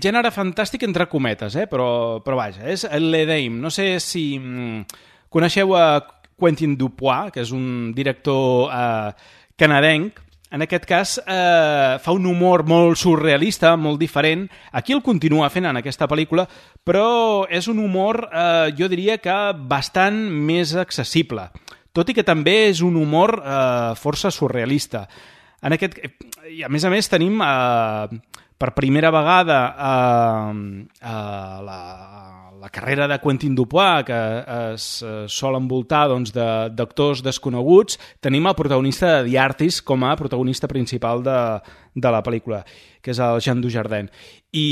gènere fantàstic entre cometes, eh? però, però vaja, és Le Dame. No sé si mm, coneixeu a Quentin Dupieux, que és un director eh, canadenc. En aquest cas eh, fa un humor molt surrealista, molt diferent. Aquí el continua fent en aquesta pel·lícula, però és un humor, eh, jo diria que bastant més accessible, tot i que també és un humor eh, força surrealista. En aquest, i a més a més tenim eh, per primera vegada eh, eh, la... la carrera de Quentin Dupieux, que es sol envoltar doncs, d'actors desconeguts. Tenim el protagonista de The Artist com a protagonista principal de, de la pel·lícula, que és el Jean Dujardin. I,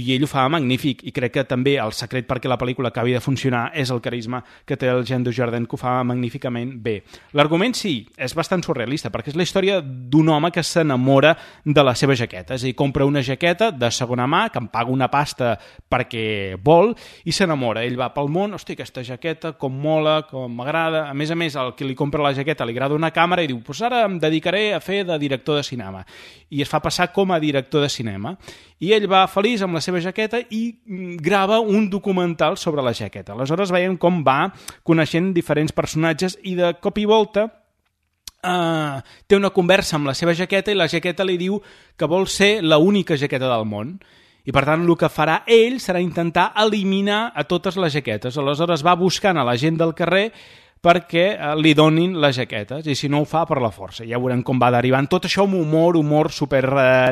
i ell ho fa magnífic, i crec que també el secret perquè la pel·lícula acabi de funcionar és el carisma que té el Jean Dujardin, que ho fa magníficament bé. L'argument sí, és bastant surrealista, perquè és la història d'un home que s'enamora de la seva jaqueta, és a dir, compra una jaqueta de segona mà, que em paga una pasta perquè vol, i s'enamora. Ell va pel món, hosti, aquesta jaqueta, com mola, com m'agrada. A més a més, el que li compra la jaqueta li agrada una càmera i diu, pues ara em dedicaré a fer de director de cinema. I es fa passar com a director de cinema. I ell va feliç amb la seva jaqueta i grava un documental sobre la jaqueta. Aleshores veiem com va coneixent diferents personatges i de cop i volta uh, té una conversa amb la seva jaqueta i la jaqueta li diu que vol ser l'única jaqueta del món. I per tant el que farà ell serà intentar eliminar a totes les jaquetes. Aleshores va buscant a la gent del carrer perquè li donin les jaquetes, i si no ho fa per la força. Ja veurem com va derivant. Tot això amb humor, humor super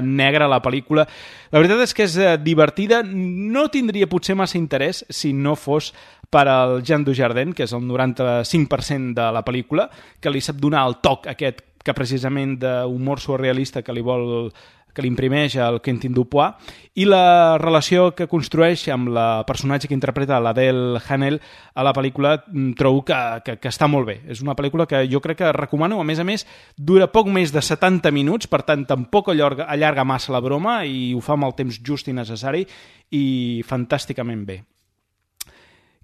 negre a la pel·lícula. La veritat és que és divertida, no tindria potser massa interès si no fos per al Jean Dujardin, que és el noranta-cinc per cent de la pel·lícula, que li sap donar el toc aquest que precisament d'humor surrealista que li vol que li imprimeix el Quentin Dupieux, i la relació que construeix amb la personatge que interpreta l'Adele Hanel a la pel·lícula trobo que, que, que està molt bé. És una pel·lícula que jo crec que recomano, a més a més dura poc més de setanta minuts, per tant tampoc allarga, allarga massa la broma i ho fa amb el temps just i necessari i fantàsticament bé.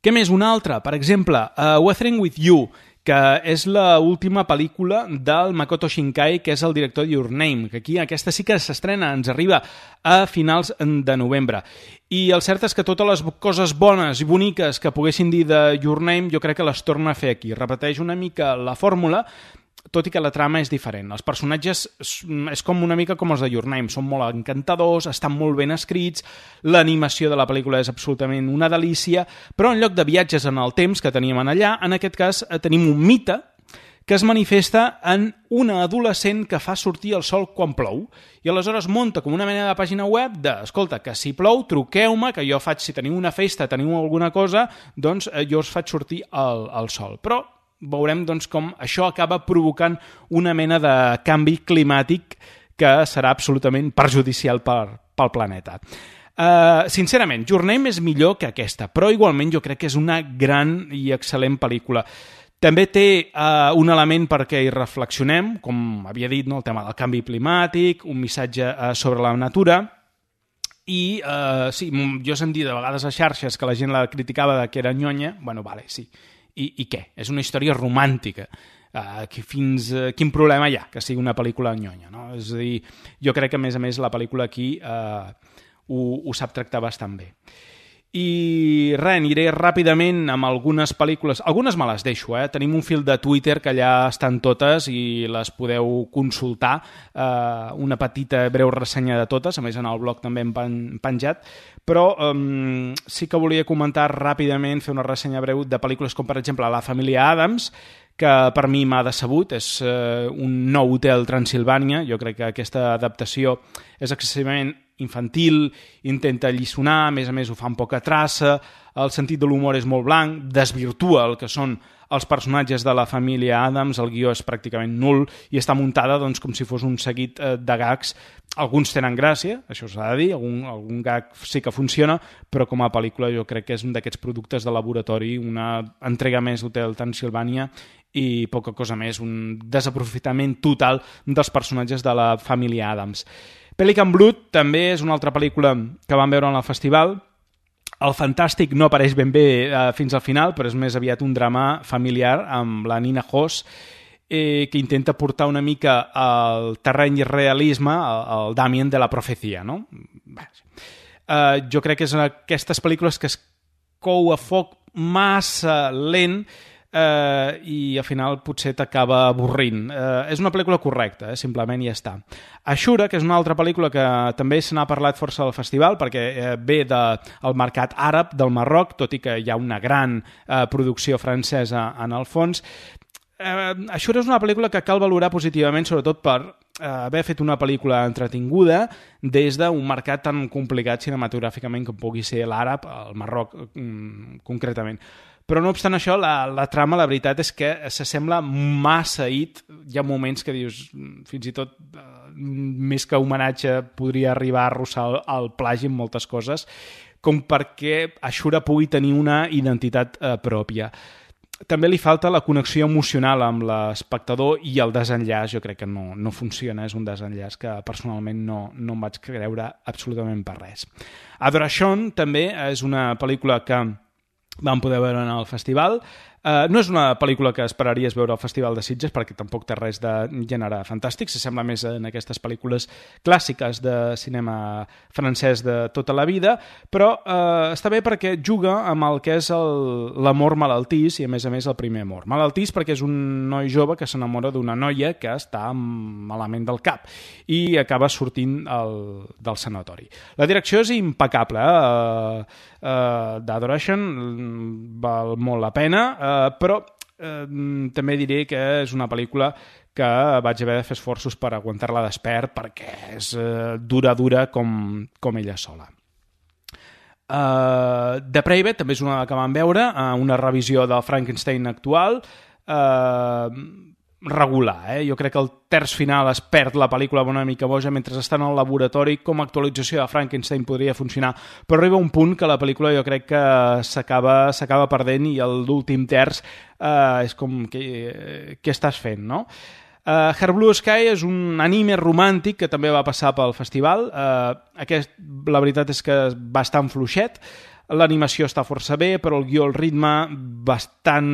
Què més? Una altra, per exemple, uh, Weathering with You, que és l'última pel·lícula del Makoto Shinkai, que és el director de Your Name, que aquí aquesta sí que s'estrena, ens arriba a finals de novembre. I el cert és que totes les coses bones i boniques que poguessin dir de Your Name jo crec que les torna a fer aquí. Repeteix una mica la fórmula, tot i que la trama és diferent. Els personatges és com una mica com els de Your Name, són molt encantadors, estan molt ben escrits, l'animació de la pel·lícula és absolutament una delícia, però en lloc de viatges en el temps que teníem allà, en aquest cas tenim un mite que es manifesta en una adolescent que fa sortir el sol quan plou, i aleshores munta com una mena de pàgina web de, escolta, que si plou, truqueu-me, que jo faig, si teniu una festa, teniu alguna cosa, doncs jo us faig sortir el, el sol. Però veurem doncs, com això acaba provocant una mena de canvi climàtic que serà absolutament perjudicial per, pel planeta. Uh, sincerament, Your Name és millor que aquesta, però igualment jo crec que és una gran i excel·lent pel·lícula. També té uh, un element perquè hi reflexionem, com havia dit, no? El tema del canvi climàtic, un missatge uh, sobre la natura. I uh, sí, jo he sentit de vegades a xarxes que la gent la criticava de que era nyonya. Bueno, vale, sí. I, i què? És una història romàntica. Uh, que fins, uh, quin problema hi ha que sigui una pel·lícula nyonya, no? És a dir, jo crec que a més a més la pel·lícula aquí uh, ho, ho sap tractar bastant bé. I res, aniré ràpidament amb algunes pel·lícules, algunes me les deixo, eh? Tenim un fil de Twitter que allà estan totes i les podeu consultar, eh, una petita breu ressenya de totes, a més en el blog també hem penjat, però eh, sí que volia comentar ràpidament, fer una ressenya breu de pel·lícules com per exemple La família Addams, que per mi m'ha decebut, és eh, un nou Hotel Transilvània. Jo crec que aquesta adaptació és excessivament infantil, intenta alliçonar, a més a més ho fa amb poca traça, el sentit de l'humor és molt blanc, desvirtua el que són els personatges de la família Addams, el guió és pràcticament nul i està muntada doncs, com si fos un seguit de gags. Alguns tenen gràcia, això s'ha de dir, algun, algun gag sí que funciona, però com a pel·lícula jo crec que és un d'aquests productes de laboratori, una entrega més d'Hotel Transilvània i poca cosa més, un desaprofitament total dels personatges de la família Addams. Pelican Blood també és una altra pel·lícula que vam veure en el festival. El fantàstic no apareix ben bé eh, fins al final, però és més aviat un drama familiar amb la Nina Hoss, eh, que intenta portar una mica al terreny realisme el, el Damien de la profecia, no? Eh, jo crec que és aquestes pel·lícules que es cou a foc massa lent, Uh, i al final potser t'acaba avorrint. Uh, és una pel·lícula correcta, eh? Simplement ja està. Ashura, que és una altra pel·lícula que també se n'ha parlat força al festival perquè uh, ve del mercat àrab del Marroc, tot i que hi ha una gran uh, producció francesa en el fons. Uh, Ashura és una pel·lícula que cal valorar positivament, sobretot per uh, haver fet una pel·lícula entretinguda des d'un mercat tan complicat cinematogràficament com pugui ser l'àrab, el Marroc um, concretament. Però no obstant això, la, la trama, la veritat és que s'assembla massa It. Hi ha moments que dius, fins i tot eh, més que homenatge podria arribar a arrossar el, el plagi en moltes coses, com perquè Ashura pugui tenir una identitat eh, pròpia. També li falta la connexió emocional amb l'espectador i el desenllaç, jo crec que no, no funciona, és un desenllaç que personalment no, no em vaig creure absolutament per res. Adoration també és una pel·lícula que vam poder veure en el festival. Uh, no és una pel·lícula que esperaries veure al Festival de Sitges perquè tampoc té res de gènere fantàstic, s'assembla més en aquestes pel·lícules clàssiques de cinema francès de tota la vida, però uh, està bé perquè juga amb el que és l'amor malaltís i a més a més el primer amor. Malaltís perquè és un noi jove que s'enamora d'una noia que està malament del cap i acaba sortint el, del sanatori. La direcció és impecable, eh? Uh, uh, d'Adoration val molt la pena, uh, però eh, també diré que és una pel·lícula que vaig haver de fer esforços per aguantar-la despert perquè és eh, dura, dura com, com ella sola. Uh, The Private també és una que vam veure, uh, una revisió del Frankenstein actual, uh, regular, eh? Jo crec que el terç final es perd la pel·lícula una mica boja mentre estan al laboratori. Com a actualització de Frankenstein podria funcionar, però arriba un punt que la pel·lícula jo crec que s'acaba s'acaba perdent i l'últim terç eh, és com què, què estàs fent, no? Uh, Her Blue Sky és un anime romàntic que també va passar pel festival. Uh, aquest, la veritat és que és bastant fluixet. L'animació està força bé, però el guió, el ritme, bastant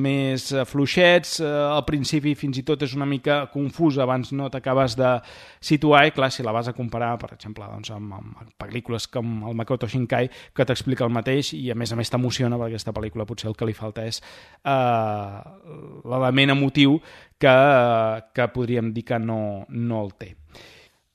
més fluixets. Al principi fins i tot és una mica confús, abans no t'acabes de situar, i clar, si la vas a comparar, per exemple, doncs, amb, amb pel·lícules com el Makoto Shinkai, que t'explica el mateix, i a més a més t'emociona, perquè aquesta pel·lícula potser el que li falta és uh, l'element emotiu que, que podríem dir que no, no el té.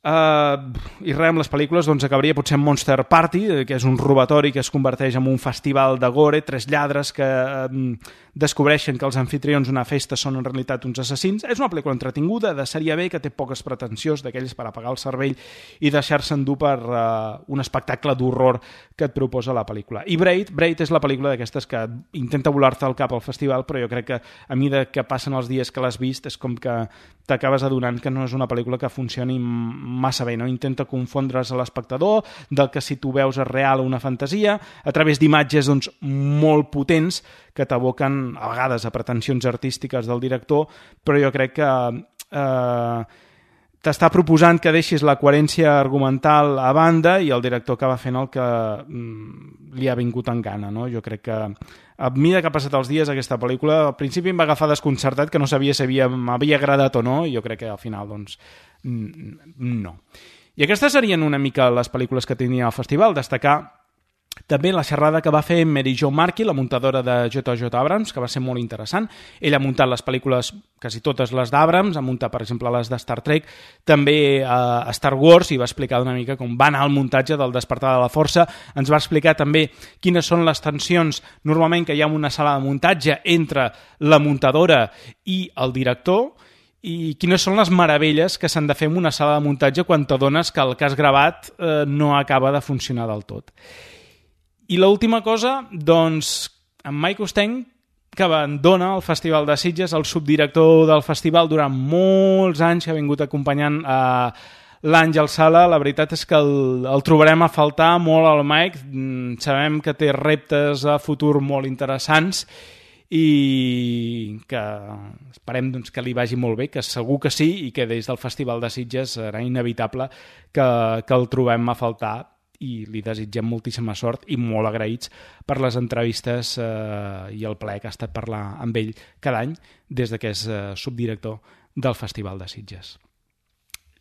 Uh, i res, amb les pel·lícules doncs acabaria potser amb Monster Party, que és un robatori que es converteix en un festival de gore, tres lladres que uh, descobreixen que els anfitrions d'una festa són en realitat uns assassins. És una pel·lícula entretinguda, de sèrie B, que té poques pretensions, d'aquells per apagar el cervell i deixar-se endur per uh, un espectacle d'horror que et proposa la pel·lícula. I Braid, Braid és la pel·lícula d'aquestes que intenta volar-te al cap al festival, però jo crec que a mesura que passen els dies que l'has vist és com que t'acabes adonant que no és una pel·lícula que funcioni massa bé, no? Intenta confondre's a l'espectador del que si tu veus és real o una fantasia, a través d'imatges doncs, molt potents que t'aboquen a vegades a pretensions artístiques del director, però jo crec que eh, t'està proposant que deixis la coherència argumental a banda i el director acaba fent el que mm, li ha vingut en gana, no? Jo crec que a mesura que ha passat els dies aquesta pel·lícula, al principi em va agafar desconcertat, que no sabia si m'havia agradat o no, i jo crec que al final doncs no. I aquestes serien una mica les pel·lícules que tenia al festival. Destacar també la xerrada que va fer Mary Jo Markey, la muntadora de J J Abrams, que va ser molt interessant. Ella ha muntat les pel·lícules, quasi totes les d'Abrams, ha muntat, per exemple, les de Star Trek, també a Star Wars, i va explicar una mica com va anar el muntatge del Despertar de la Força. Ens va explicar també quines són les tensions normalment que hi ha en una sala de muntatge entre la muntadora i el director, i quines són les meravelles que s'han de fer en una sala de muntatge quan t'adones que el que has gravat eh, no acaba de funcionar del tot. I l'última cosa, doncs, en Mike Osteng, que abandona el Festival de Sitges, el subdirector del festival durant molts anys, que ha vingut acompanyant a l'Àngel Sala. La veritat és que el, el trobarem a faltar molt al Mike. Sabem que té reptes a futur molt interessants i que esperem doncs, que li vagi molt bé, que segur que sí, i que des del Festival de Sitges serà inevitable que, que el trobem a faltar, i li desitgem moltíssima sort i molt agraïts per les entrevistes eh, i el plaer que ha estat parlar amb ell cada any des que és eh, subdirector del Festival de Sitges.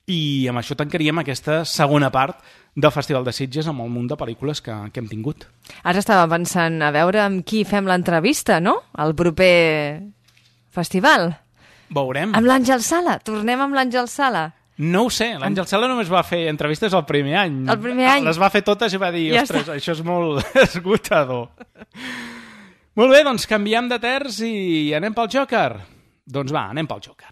I amb això tancaríem aquesta segona part del Festival de Sitges amb el munt de pel·lícules que, que hem tingut. Ara estava pensant a veure amb qui fem l'entrevista, no? El proper festival. Veurem. Amb l'Àngel Sala. Tornem amb l'Àngel Sala. No ho sé, l'Àngel Sala només va fer entrevistes el primer any. El primer any? Les va fer totes i va dir, ja ostres, està. Això és molt esgotador. Molt bé, doncs canviem de terç i anem pel Joker. Doncs va, anem pel Joker.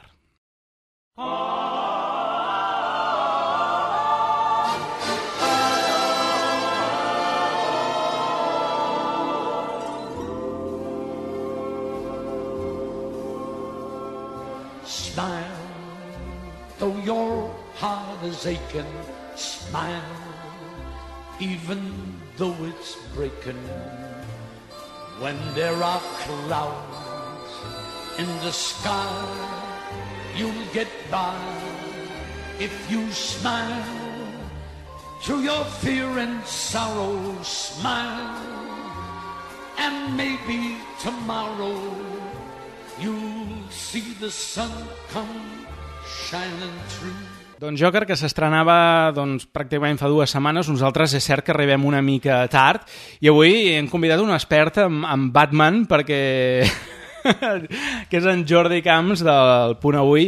Smile. Though your heart is aching, smile, even though it's breaking. When there are clouds in the sky, you'll get by if you smile. Through your fear and sorrow, smile, and maybe tomorrow you'll see the sun come Doncs Joker, que s'estrenava doncs, pràcticament fa dues setmanes. Nosaltres és cert que arribem una mica tard i avui hem convidat un expert en, en Batman perquè que és en Jordi Camps del Punt Avui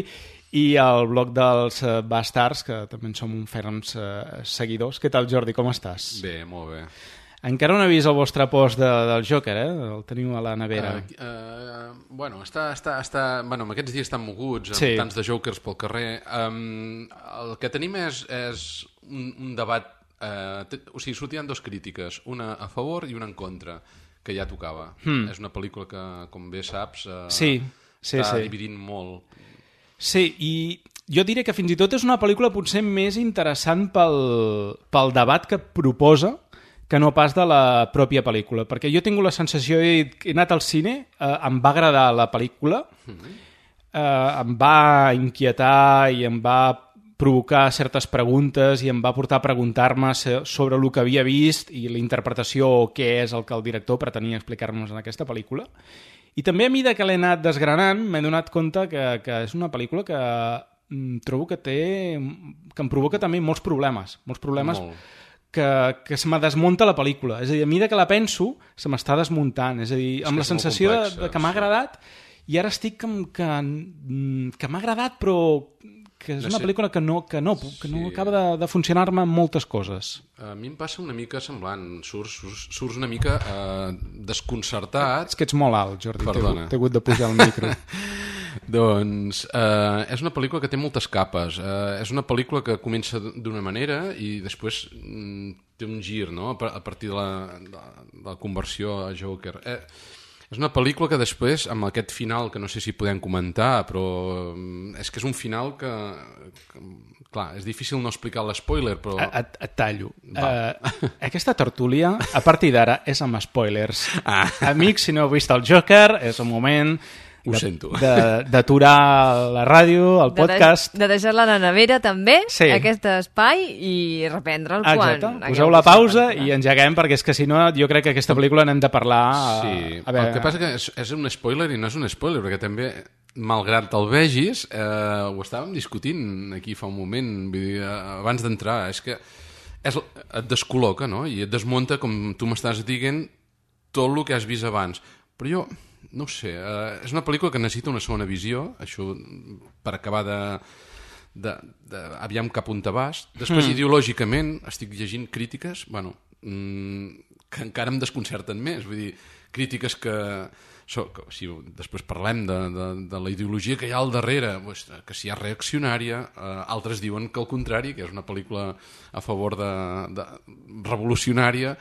i el blog dels uh, Bastards, que també en som un ferms uh, seguidors. Què tal, Jordi, com estàs? Bé, molt bé. Encara no he vist el vostre post de, del Joker, eh? El teniu a la nevera. Uh, uh, bueno, està, està, està, bueno, aquests dies estan moguts, amb sí. tants de jokers pel carrer. Um, el que tenim és, és un, un debat, uh, t- o sigui, sortien dos crítiques, una a favor i una en contra, que ja tocava. Hmm. És una pel·lícula que, com bé saps, uh, sí, sí, està sí. dividint molt. Sí, i jo diria que fins i tot és una pel·lícula potser més interessant pel, pel debat que proposa que no pas de la pròpia pel·lícula, perquè jo he tingut la sensació, he, he anat al cine, eh, em va agradar la pel·lícula, eh, em va inquietar i em va provocar certes preguntes i em va portar a preguntar-me sobre el que havia vist i la interpretació o què és el que el director pretenia explicar-nos en aquesta pel·lícula. I també a mesura que l'he anat desgranant m'he donat compte que, que és una pel·lícula que mm, trobo que té que em provoca també molts problemes, molts problemes Molt. que, que se me desmunta la pel·lícula. És a dir, a mesura que la penso se m'està desmuntant. És a dir, és amb la sensació complexa, de, de que m'ha agradat i ara estic que, que, que m'ha agradat però que és una pel·lícula que no, que no, que no sí. acaba de, de funcionar-me en moltes coses. A mi em passa una mica semblant. Surts, surts, surts una mica eh, desconcertat. És que ets molt alt, Jordi. Perdona. T'he hagut de pujar el micro. Doncs eh, és una pel·lícula que té moltes capes. Eh, és una pel·lícula que comença d'una manera i després mm, té un gir, no?, a partir de la, de la conversió a Joker. Eh, és una pel·lícula que després, amb aquest final, que no sé si podem comentar, però és que és un final que... que clar, és difícil no explicar l'spoiler, però... Et, et tallo. Uh, aquesta tertúlia, a partir d'ara, és amb spoilers. Ah. Amics, si no heu vist el Joker, és un moment... Ho de, sento. D'aturar la ràdio, el podcast... De, de deixar-la a la nevera, també, sí. aquest espai, i reprendre'l quan... Exacte. Poseu la pausa i engeguem, perquè és que si no, jo crec que aquesta pel·lícula n'hem de parlar... Sí, a, a veure... el que passa que és, és un spoiler i no és un spoiler, perquè també, malgrat el vegis, eh, ho estàvem discutint aquí fa un moment, vull dir, abans d'entrar, és que és, et descol·loca, no?, i et desmunta, com tu m'estàs dient, tot el que has vist abans. Però jo... no ho sé, uh, és una pel·lícula que necessita una segona visió, això per acabar de, de, de aviam cap on te vas. Després, mm. ideològicament, estic llegint crítiques, bueno, mm, que encara em desconcerten més, vull dir, crítiques que, so, que si després parlem de, de, de la ideologia que hi ha al darrere, pues, que si és reaccionària, uh, altres diuen que al contrari, que és una pel·lícula a favor de, de revolucionària.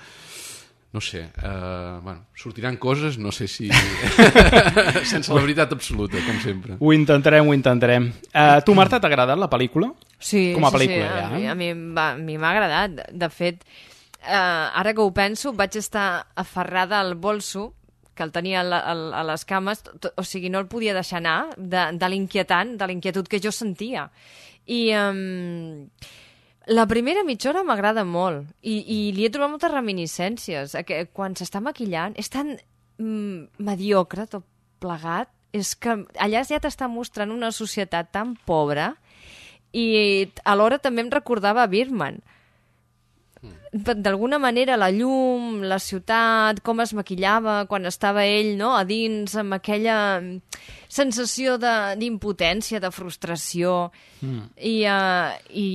No sé, uh, bueno, sortiran coses, no sé si... sense la veritat absoluta, com sempre. Ho intentarem, ho intentarem. Uh, tu, Marta, t'ha agradat la pel·lícula? Sí, com a sí, pel·lícula, sí. Ja, a mi, a mi, va, a mi m'ha agradat. De fet, uh, ara que ho penso, vaig estar aferrada al bolso, que el tenia a, a, a les cames, o sigui, no el podia deixar anar, de, de l'inquietant, de l'inquietud que jo sentia. I... Um, La primera mitja hora m'agrada molt i, i li he trobat moltes reminiscències. Quan s'està maquillant és tan mm, mediocre tot plegat, és que allà ja t'està mostrant una societat tan pobra i alhora també em recordava a Birdman. D'alguna manera la llum, la ciutat, com es maquillava quan estava ell, no?, a dins, amb aquella sensació d'impotència, de, de frustració, mm. I, uh, i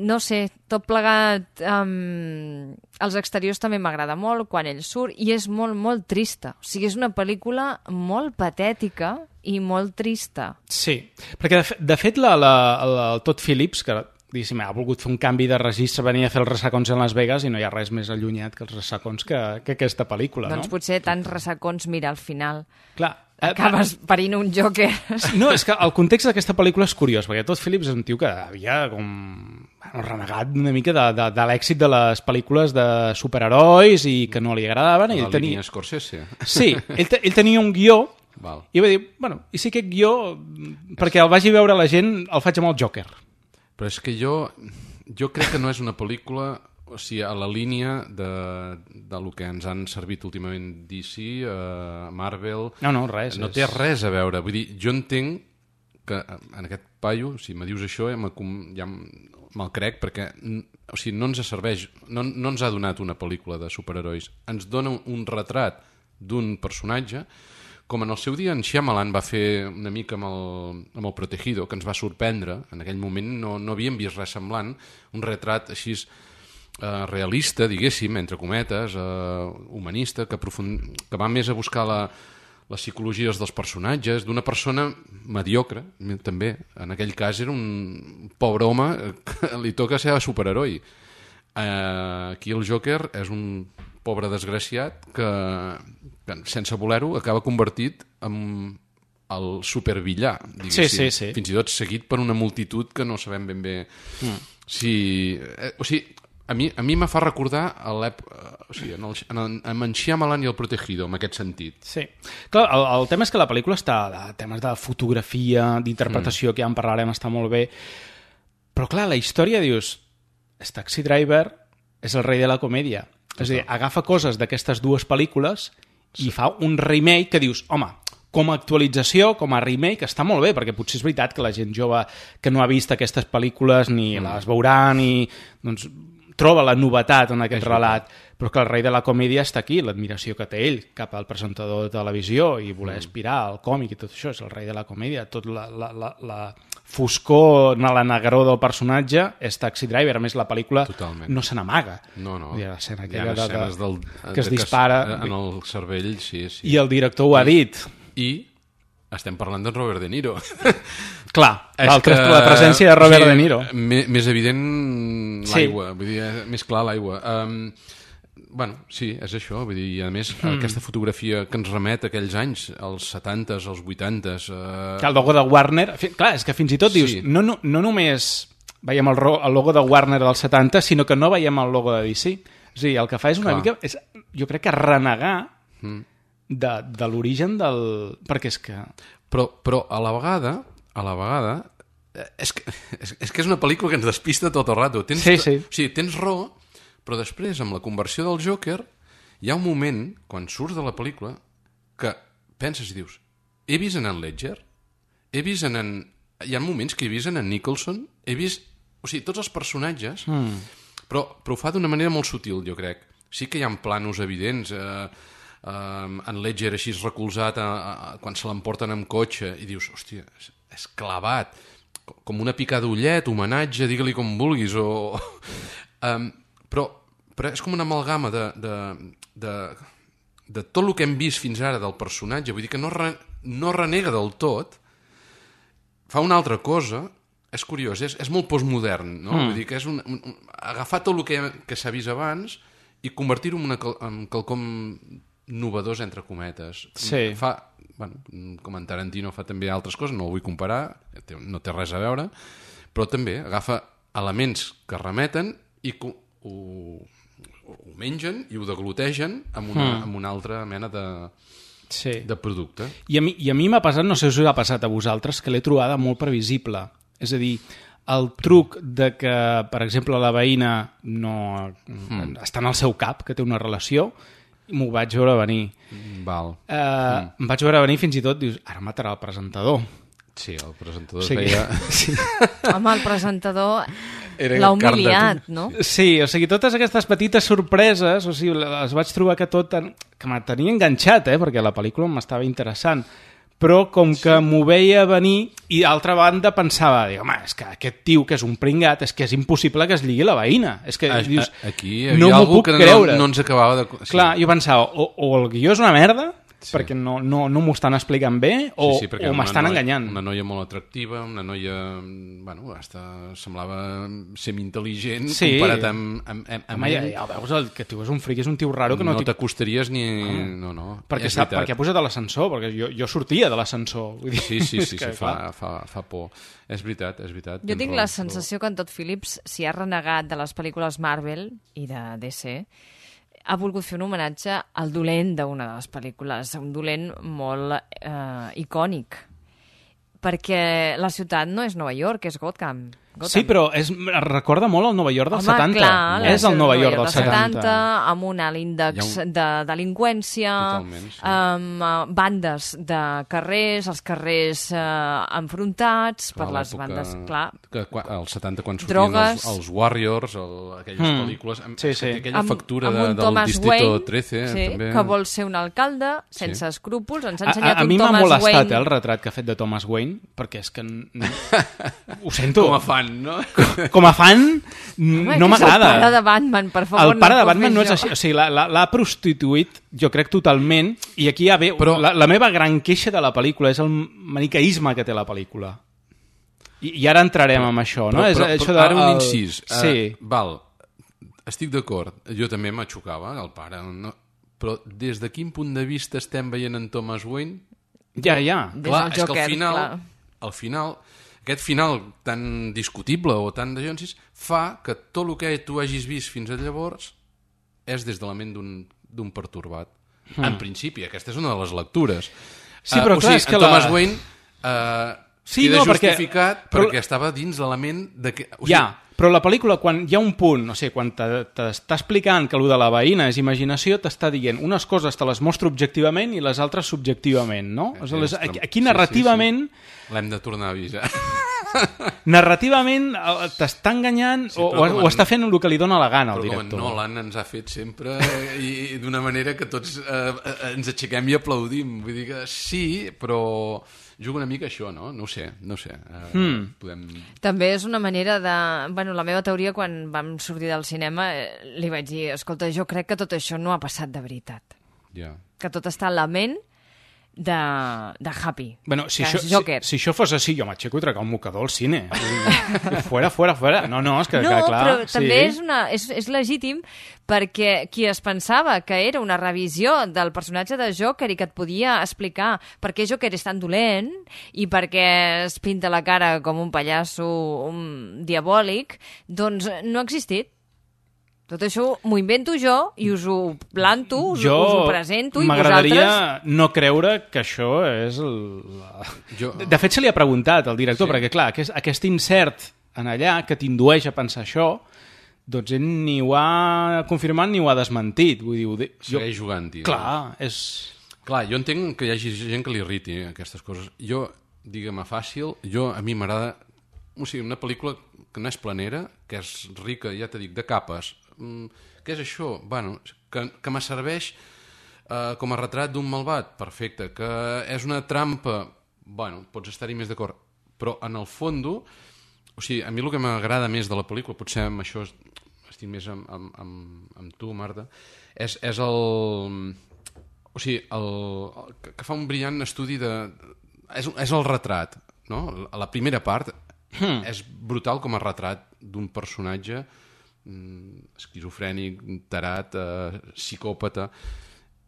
no sé, tot plegat, um, els exteriors també m'agrada molt quan ell surt, i és molt, molt trista. O sigui, és una pel·lícula molt patètica i molt trista. Sí, perquè de, de fet la, la, la, el Todd Phillips, que diguéssim, ha volgut fer un canvi de registre, venia a fer els ressacons en Las Vegas i no hi ha res més allunyat que els ressacons que, que aquesta pel·lícula, doncs no? Doncs potser tants ressacons, mira, al final clar, acabes eh, parint un Joker. No, és que el context d'aquesta pel·lícula és curiós, perquè Todd Phillips és un tio que havia com bueno, renegat una mica de, de, de l'èxit de les pel·lícules de superherois i que no li agradaven. La ell tenia... línia Scorsese. Sí, ell, te, ell tenia un guió Val. i va dir, bueno, i si aquest guió, perquè el vagi veure la gent, el faig amb el Joker. Però és que jo, jo crec que no és una pel·lícula, o sigui, a la línia de, de lo que ens han servit últimament D C, uh, Marvel... No, no, res. No és... té res a veure. Vull dir, jo entenc que en aquest paio, si me dius això, ja, ja me'l crec, perquè o sigui, no ens serveix, no, no ens ha donat una pel·lícula de superherois. Ens dona un retrat d'un personatge, com en el seu dia en Shyamalan va fer una mica amb el, amb el Protegido, que ens va sorprendre, en aquell moment no, no havíem vist res semblant, un retrat així eh, realista, diguéssim, entre cometes, eh, humanista, que, profund... que va més a buscar la, les psicologies dels personatges, d'una persona mediocre, també. En aquell cas era un pobre home que li toca ser superheroi. Eh, aquí el Joker és un pobre desgraciat que, que sense voler-ho, acaba convertit en el supervillà, diguéssim. Sí, sí, sí. Fins i tot seguit per una multitud que no sabem ben bé mm. si... Eh, o sigui, a mi, a mi me fa recordar a l'època... O sigui, en, el, en, el, en en Shyamalan i el Protegido, en aquest sentit. Sí. Clar, el, el tema és que la pel·lícula està de temes de fotografia, d'interpretació, mm. que ja en parlarem, està molt bé. Però clar, la història, dius... Taxi Driver és el rei de la comèdia. Total. És a dir, agafa coses d'aquestes dues pel·lícules i sí. fa un remake que dius, home, com a actualització, com a remake, està molt bé, perquè potser és veritat que la gent jove que no ha vist aquestes pel·lícules ni mm. les veurà ni... Doncs, troba la novetat en aquest és relat, veritat. Però que el rei de la comèdia està aquí, l'admiració que té ell cap al presentador de televisió i voler mm. aspirar al còmic i tot això, és el rei de la comèdia. Tot la, la, la, la foscor, la negror del personatge és Taxi Driver. A més, la pel·lícula Totalment. no se n'amaga. No, no. Hi ha l'escena Hi ha escenes del, que es dispara. Que es, en el cervell, sí, sí. I el director ho ha dit. I estem parlant d'en Robert De Niro. Clar, que, la presència de Robert sí, De Niro. Més, més evident l'aigua, sí. vull dir, més clar l'aigua. Um, bueno, sí, és això, vull dir, i a més mm. aquesta fotografia que ens remet a aquells anys, als setantes, als vuitantes... Uh... El logo de Warner, clar, és que fins i tot dius, sí. no, no, no només veiem el, el logo de Warner dels setanta, sinó que no veiem el logo de D C. O sigui, el que fa és una clar. mica, és, jo crec que renegar mm. de, de l'origen del... Perquè és que... Però, però a la vegada, a la vegada, és que és, és que és una pel·lícula que ens despista tot el rato. Tens, sí, sí. O sigui, tens raó, però després, amb la conversió del Joker, hi ha un moment, quan surts de la pel·lícula, que penses i dius, he vist en en Ledger? He vist en en... Hi ha moments que he vist en en Nicholson? He vist... O sigui, tots els personatges, mm. però, però ho fa d'una manera molt sutil, jo crec. Sí que hi ha planos evidents... Eh, Um, en Ledger així recolzat a, a, a, quan se l'emporten amb cotxe i dius, hòstia, és, és clavat com una picada d'ullet, homenatge, digue-li com vulguis o... um, però, però és com una amalgama de, de, de, de tot el que hem vist fins ara del personatge, vull dir que no, re, no renega del tot, fa una altra cosa, és curiós, és, és molt postmodern, no? Mm. Vull dir que és un, un, agafar tot el que, que s'ha vist abans i convertir-ho en, una, en quelcom novedors entre cometes. Sí. Fa, bueno, com en Tarantino fa també altres coses, no ho vull comparar, no té res a veure, però també agafa elements que remeten i ho, ho, ho mengen i ho deglutegen amb una, mm. amb una altra mena de, sí. de producte. I a mi, i a mi m'ha passat, no sé si us ha passat a vosaltres, que l'he trobada molt previsible. És a dir, el truc de que, per exemple, la veïna no mm. està en el seu cap, que té una relació, m'ho vaig veure venir. Val. Uh, mm. Em vaig veure venir fins i tot, dius, ara matarà el presentador. Sí, el presentador sí. es veia... Sí. Home, el presentador l'ha humiliat, no? Sí, o sigui, totes aquestes petites sorpreses, o sigui, les vaig trobar que tot... En... que me tenia enganxat, eh? Perquè la pel·lícula m'estava interessant. Però com que sí. m'ho veia venir i d'altra banda pensava, dic, home, és que aquest tio que és un pringat, és que és impossible que es lligui la veïna. És que a, dius, aquí hi havia no algú que no, no ens acabava de... Sí. Clar, jo pensava, o, o el guió és una merda, sí. perquè no, no, no m'ho estan explicant bé, o, sí, sí, o m'estan noia, enganyant. Una noia molt atractiva, una noia, bueno, hasta semblava semi-intel·ligent, sí. comparat amb, amb, amb, amb home, ja, ja veus, el que tio és un fric, és un tio raro que no... No t'acostaries ni... Ah. No, no, perquè, sap, perquè ha posat a l'ascensor, perquè jo, jo sortia de l'ascensor. Vull dir, sí, sí, sí, que, sí fa, fa, fa por. És veritat, és veritat. Jo tinc la sensació que en Todd Phillips s'hi ha renegat de les pel·lícules Marvel i de D C, ha volgut fer un homenatge al dolent d'una de les pel·lícules, un dolent molt eh, icònic, perquè la ciutat no és Nova York, és Gotham. Gotham. Sí, però és, recorda molt el Nova York dels Home, setanta. Clar, és el Nova York dels setanta. Amb un alt índex un... de delinqüència, sí. amb uh, bandes de carrers, els carrers uh, enfrontats clar, per les bandes... Clar. Que, als setanta, quan sortien drogues, els, els Warriors, el, aquelles mm. pel·lícules, amb, sí, sí. aquella amb, factura amb de, del Thomas Distrito Wayne, trece. Sí, també... que vol ser un alcalde sense sí. escrúpols. Ens ha ensenyat a, a, a un mi Thomas m'ha molestat Wayne... eh, el retrat que ha fet de Thomas Wayne, perquè és que... No... Ho sento. Com a fan. fan, no? Com a fan, Home, no m'agrada. El pare de Batman, per favor. El pare no de Batman no és això. així. O sigui, l'ha prostituït, jo crec, totalment, i aquí ja ve... Però... La, la meva gran queixa de la pel·lícula és el maniqueisme que té la pel·lícula. I, i ara entrarem però, amb això, no? Però, és, però, això però de, ara un el... incís. Sí. Uh, val, estic d'acord. Jo també m'aixocava, el pare... No? Però des de quin punt de vista estem veient en Thomas Wayne? Ja, ja. Clar, és que al final, al final, aquest final tan discutible o tan de Jonsis fa que tot el que tu hagis vist fins a llavors és des de la ment d'un pertorbat. Mm. En principi, aquesta és una de les lectures. Sí, però uh, clar, o sigui, és que Thomas la... Wayne uh, sí, queda no, justificat perquè, perquè estava dins de la ment de que... O sigui, ja, però la pel·lícula, quan hi ha un punt, no sé, quan t'està explicant que el de la veïna és imaginació, t'està dient unes coses te les mostro objectivament i les altres subjectivament, no? Eh, les, aquí narrativament... Sí, sí, sí. L'hem de tornar a avisar. Narrativament t'està enganyant sí, o, o, o està fent el que li dona la gana al director. Però com Nolan ens ha fet sempre i, i d'una manera que tots eh, ens aixequem i aplaudim. Vull dir que sí, però... juga una mica això, no? No ho sé, no ho sé. Uh, mm. podem... També és una manera de... Bueno, la meva teoria, quan vam sortir del cinema, eh, li vaig dir, escolta, jo crec que tot això no ha passat de veritat. Yeah. Que tot està en la ment de, de Happy, bueno, si que això, és Joker. Si, si això fos així, jo m'aixeco i trecar un mocador al cine. Fuera, fuera, fuera. No, no, és que, no, que clar... però sí. també és, una, és, és legítim perquè qui es pensava que era una revisió del personatge de Joker i que et podia explicar per què Joker és tan dolent i per què es pinta la cara com un pallasso un diabòlic, doncs no ha existit. Tot això m'ho invento jo i us ho planto, us, jo us ho presento i vosaltres... m'agradaria no creure que això és... El... Jo... De, de fet, se li ha preguntat al director, sí. perquè clar, aquest, aquest insert en allà que t'indueix a pensar això, doncs ell ni ho ha confirmat ni ho ha desmentit. Vull dir, de... Segueix jo... jugant-hi. Clar, no? és... Clar, jo entenc que hi hagi gent que li irriti aquestes coses. Jo, digue-me fàcil, jo a mi m'agrada... O sigui, una pel·lícula que no és planera, que és rica, ja t'he dit, de capes. Què és això? Bueno, que, que me serveix eh, com a retrat d'un malvat, perfecte. Que és una trampa, bueno, pots estar-hi més d'acord, però en el fondo, o sigui, a mi el que m'agrada més de la pel·lícula, potser amb això estic més amb, amb, amb, amb tu, Marta, és, és el... O sigui, el, el, que fa un brillant estudi de... És, és el retrat, no? La primera part hmm. és brutal com a retrat d'un personatge esquizofrènic, tarat, eh, psicòpata,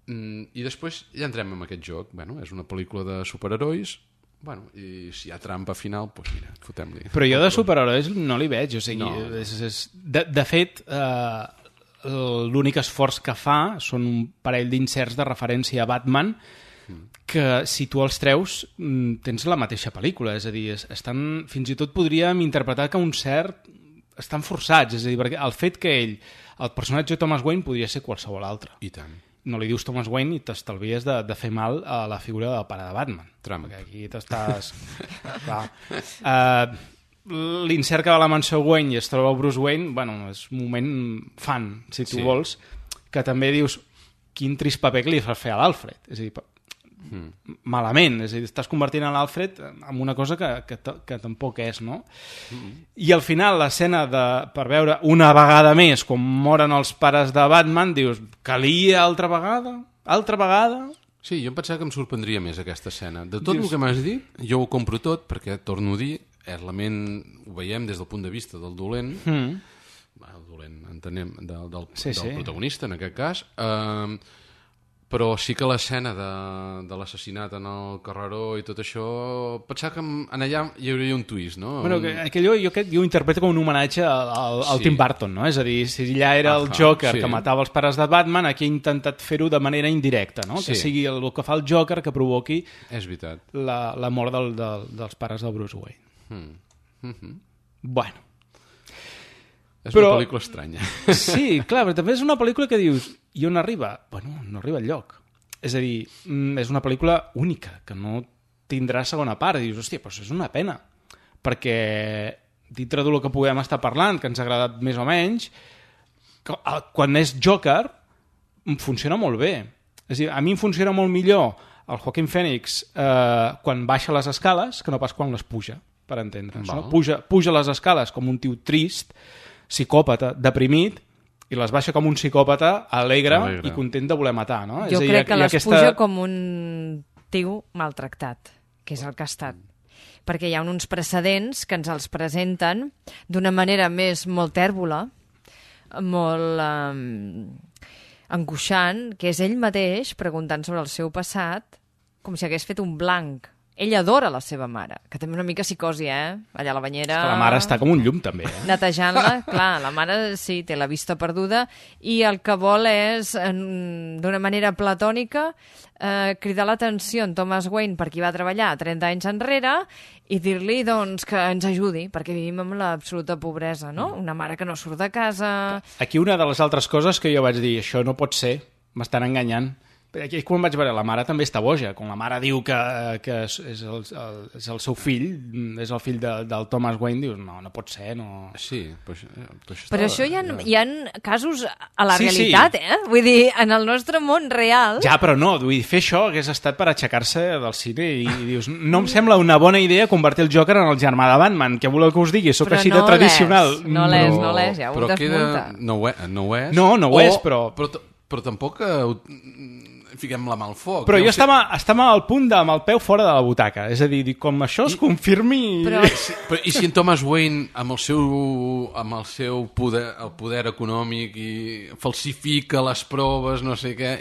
i després ja entrem en aquest joc. Bueno, és una pel·lícula de superherois, bueno, i si hi ha trampa final, doncs mira, fotem-li. Però jo de superherois no li veig, o sigui, no. és, és, de, de fet, eh, l'únic esforç que fa són un parell d'inserts de referència a Batman que si tu els treus tens la mateixa pel·lícula, és a dir, estan, fins i tot podríem interpretar que un cert estan forçats, és a dir, perquè el fet que ell, el personatge de Thomas Wayne podria ser qualsevol altre. I tant. No li dius Thomas Wayne i t'estalvies de, de fer mal a la figura del pare de Batman. Trump. Perquè aquí t'estàs... uh, L'insert que va a la mansió Wayne i es troba Bruce Wayne, bueno, és un moment fan, si tu sí. vols, que també dius quin trist paper que li fas fer a l'Alfred. És a dir, Mm. malament, és a dir, estàs convertint l'Alfred en una cosa que, que, que tampoc és, no? Mm. I al final l'escena de, per veure una vegada més com moren els pares de Batman, dius, calia altra vegada? Altra vegada? Sí, jo em pensava que em sorprendria més aquesta escena. De tot dius... el que m'has dit, jo ho compro tot, perquè, torno a dir, és la ment, ho veiem des del punt de vista del dolent, mm. el dolent, entenem, del, del, sí, del sí. protagonista, en aquest cas, eh, però sí que l'escena de, de l'assassinat en el carreró i tot això, pensava que en allà hi hauria un twist, no? Bueno, que, que jo, jo, jo ho interpreto com un homenatge al, al, al sí. Tim Burton, no? És a dir, si allà era el Joker sí. que matava els pares de Batman, aquí ha intentat fer-ho de manera indirecta, no? Sí. Que sigui el, el que fa el Joker que provoqui és veritat. La, la mort del, del, dels pares de Bruce Wayne. Mm. Mm-hmm. Bueno. És però, una pel·lícula estranya. Sí, clar, però també és una pel·lícula que dius, i on arriba? Bueno, no arriba enlloc. És a dir, és una pel·lícula única, que no tindrà segona part. I dius, hòstia, però és una pena. Perquè, dintre del que puguem estar parlant, que ens ha agradat més o menys, quan és Joker, funciona molt bé. És a dir, a mi em funciona molt millor el Joaquin Phoenix eh, quan baixa les escales que no pas quan les puja. per entendre'ns. No? Puja, puja les escales com un tio trist, psicòpata, deprimit, i les baixa com un psicòpata alegre, alegre. i content de voler matar. No? Jo és crec dir, que les aquesta... puja com un tio maltractat, que és el que ha estat. Perquè hi ha uns precedents que ens els presenten d'una manera més molt tèrbola, molt um, angoixant, que és ell mateix preguntant sobre el seu passat com si hagués fet un blanc. Ell adora la seva mare, que també una mica psicosi, eh? Allà a la banyera... És que la mare està com un llum, també. Eh? Netejant-la, clar, la mare sí, té la vista perduda i el que vol és, d'una manera platònica, eh, cridar l'atenció en Thomas Wayne per qui va treballar trenta anys enrere i dir-li, doncs, que ens ajudi, perquè vivim amb l'absoluta pobresa, no? Una mare que no surt de casa... Aquí una de les altres coses que jo vaig dir, això no pot ser, m'estan enganyant. Aquí quan vaig veure, la mare també està boja. Quan la mare diu que, que és, el, el, és el seu fill, és el fill de, del Thomas Wayne, dius, no, no pot ser, no... Sí, però això, però això, però això hi ha, hi ha casos a la sí, realitat, sí. eh? Vull dir, en el nostre món real... Ja, però no, vull dir, fer això hagués estat per aixecar-se del cine i, i dius, no em sembla una bona idea convertir el Joker en el germà de Batman, què voleu que us digui? Soc però així no de tradicional. No l'és, però, no l'és, ja ho però desmunta. Queda... No, ho és, no ho és. No, no ho o, és, però... Però, però tampoc... Eh, fiquem la mà al foc. Però jo sé... estava, estava al punt de, amb el peu fora de la butaca. És a dir, com això es I, confirmi... Però... Sí, però, I si en Thomas Wayne, amb el seu, amb el seu poder, el poder econòmic i falsifica les proves, no sé què...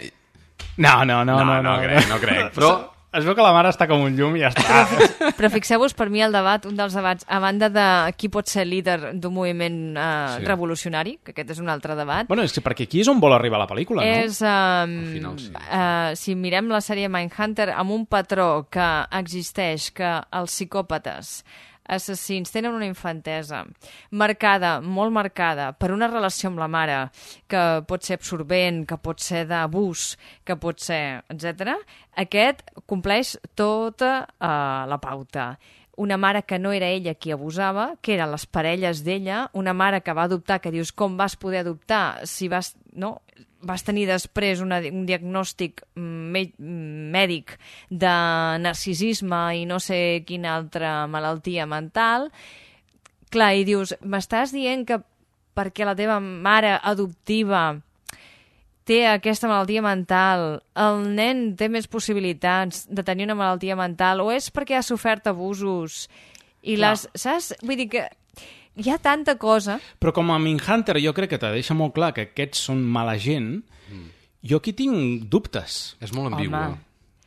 No, no, no. No, no, no, no crec, no crec. Però... Es veu que la mare està com un llum i ja està. Però, però fixeu-vos, per mi el debat, un dels debats, a banda de qui pot ser líder d'un moviment eh, sí. revolucionari, que aquest és un altre debat... Bueno, és que perquè aquí és on vol arribar la pel·lícula, no? És, um, final, sí. uh, si mirem la sèrie Mindhunter, amb un patró que existeix, que els psicòpates assassins tenen una infantesa marcada, molt marcada, per una relació amb la mare que pot ser absorbent, que pot ser d'abús, que pot ser, etcètera. Aquest compleix tota uh, la pauta. Una mare que no era ella qui abusava, que eren les parelles d'ella, una mare que va adoptar, que dius, com vas poder adoptar si vas... No? vas tenir després una, un diagnòstic me, mèdic de narcisisme i no sé quina altra malaltia mental. Clar, i dius, m'estàs dient que perquè la teva mare adoptiva té aquesta malaltia mental, el nen té més possibilitats de tenir una malaltia mental, o és perquè ha sofert abusos i Clar. les... Saps? Vull dir que hi ha tanta cosa... Però com a Mindhunter jo crec que te deixa molt clar que aquests són mala gent, mm. jo aquí tinc dubtes. És molt ambigu. Home.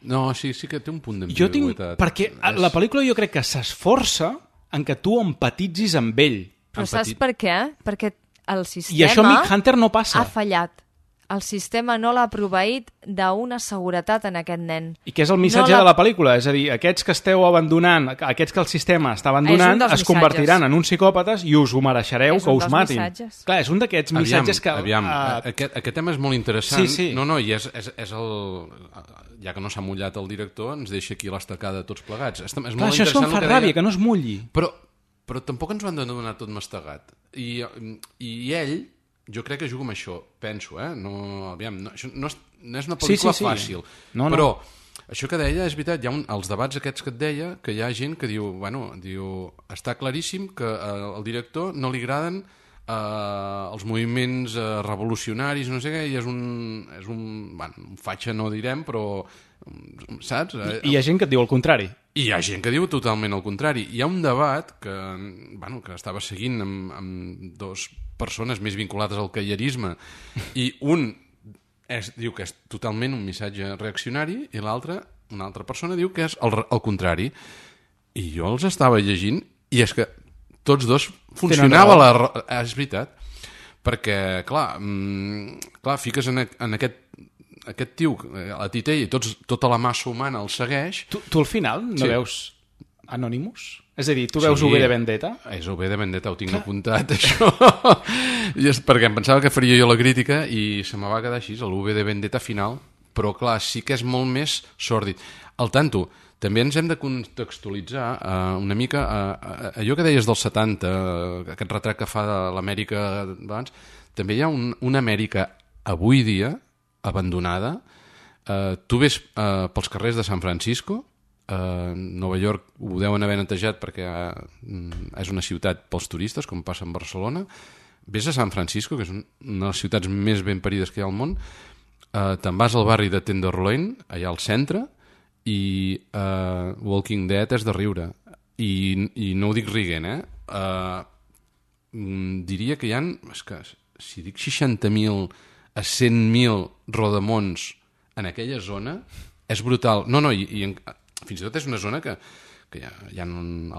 No, sí, sí que té un punt d'ambigüitat. Jo tinc... Perquè és... la pel·lícula jo crec que s'esforça en que tu empatitzis amb ell. Però Empatit... saps per què? Perquè el sistema... I això a Mindhunter no passa. Ha fallat. El sistema no l'ha proveït d'una seguretat en aquest nen. I què és el missatge no de la pel·lícula? És a dir, aquests que esteu abandonant, aquests que el sistema està abandonant, es missatges. convertiran en uns psicòpates i us ho mereixereu, és que us matin. Missatges. Clar, és un d'aquests missatges que... Aviam, uh... aquest, aquest tema és molt interessant. Sí, sí. No, no, i és, és, és el... Ja que no s'ha mullat el director, ens deixa aquí l'estacada tots plegats. És, és Clar, això és com fa ràbia, deia... que no es mulli. Però, però tampoc ens ho han de donar tot mastegat. I, i ell... Jo crec que jugo amb això, penso, eh? No, aviam, no, això no és, no és una pel·lícula sí, sí, sí. fàcil, no, però no. Això que deia és veritat, hi ha un, els debats aquests que et deia, que hi ha gent que diu, bueno, diu, està claríssim que eh, al director no li agraden eh, els moviments eh, revolucionaris, no sé què, i és un, és un, bueno, un fatxa no direm, però, saps? I, I hi ha gent que et diu el contrari. I hi ha gent que diu totalment el contrari. Hi ha un debat que, bueno, que estava seguint amb, amb dos persones més vinculades al caierisme i un és, diu que és totalment un missatge reaccionari i l'altre, una altra persona diu que és el, el contrari. I jo els estava llegint i és que tots dos funcionava la... És veritat. Perquè, clar, mmm, clar fiques en, en aquest aquest tio, a titella, i tots, tota la massa humana el segueix... Tu, tu al final no sí. veus Anonymous? És a dir, tu veus sí, U V de Vendetta? És U V de Vendetta, ho tinc Clar. apuntat, això. I és perquè em pensava que faria jo la crítica i se me va quedar així, el U V de Vendetta final, però clar, sí que és molt més sòrdid. Al tanto, també ens hem de contextualitzar uh, una mica uh, allò que deies dels setanta, uh, aquest retrat que fa de l'Amèrica abans, també hi ha un, una Amèrica avui dia abandonada. Uh, tu ves uh, pels carrers de San Francisco Uh, Nova York ho deuen haver netejat perquè uh, és una ciutat pels turistes, com passa en Barcelona. Vés a San Francisco, que és una de les ciutats més ben parides que hi ha al món. Uh, te'n vas al barri de Tenderloin, allà al centre, i uh, Walking Dead és de riure. I, i no ho dic riguent, eh? Uh, diria que hi ha, és que, si dic seixanta mil a cent mil rodamons en aquella zona, és brutal. No, no, i, i en, fins i tot és una zona que, que hi ha, hi ha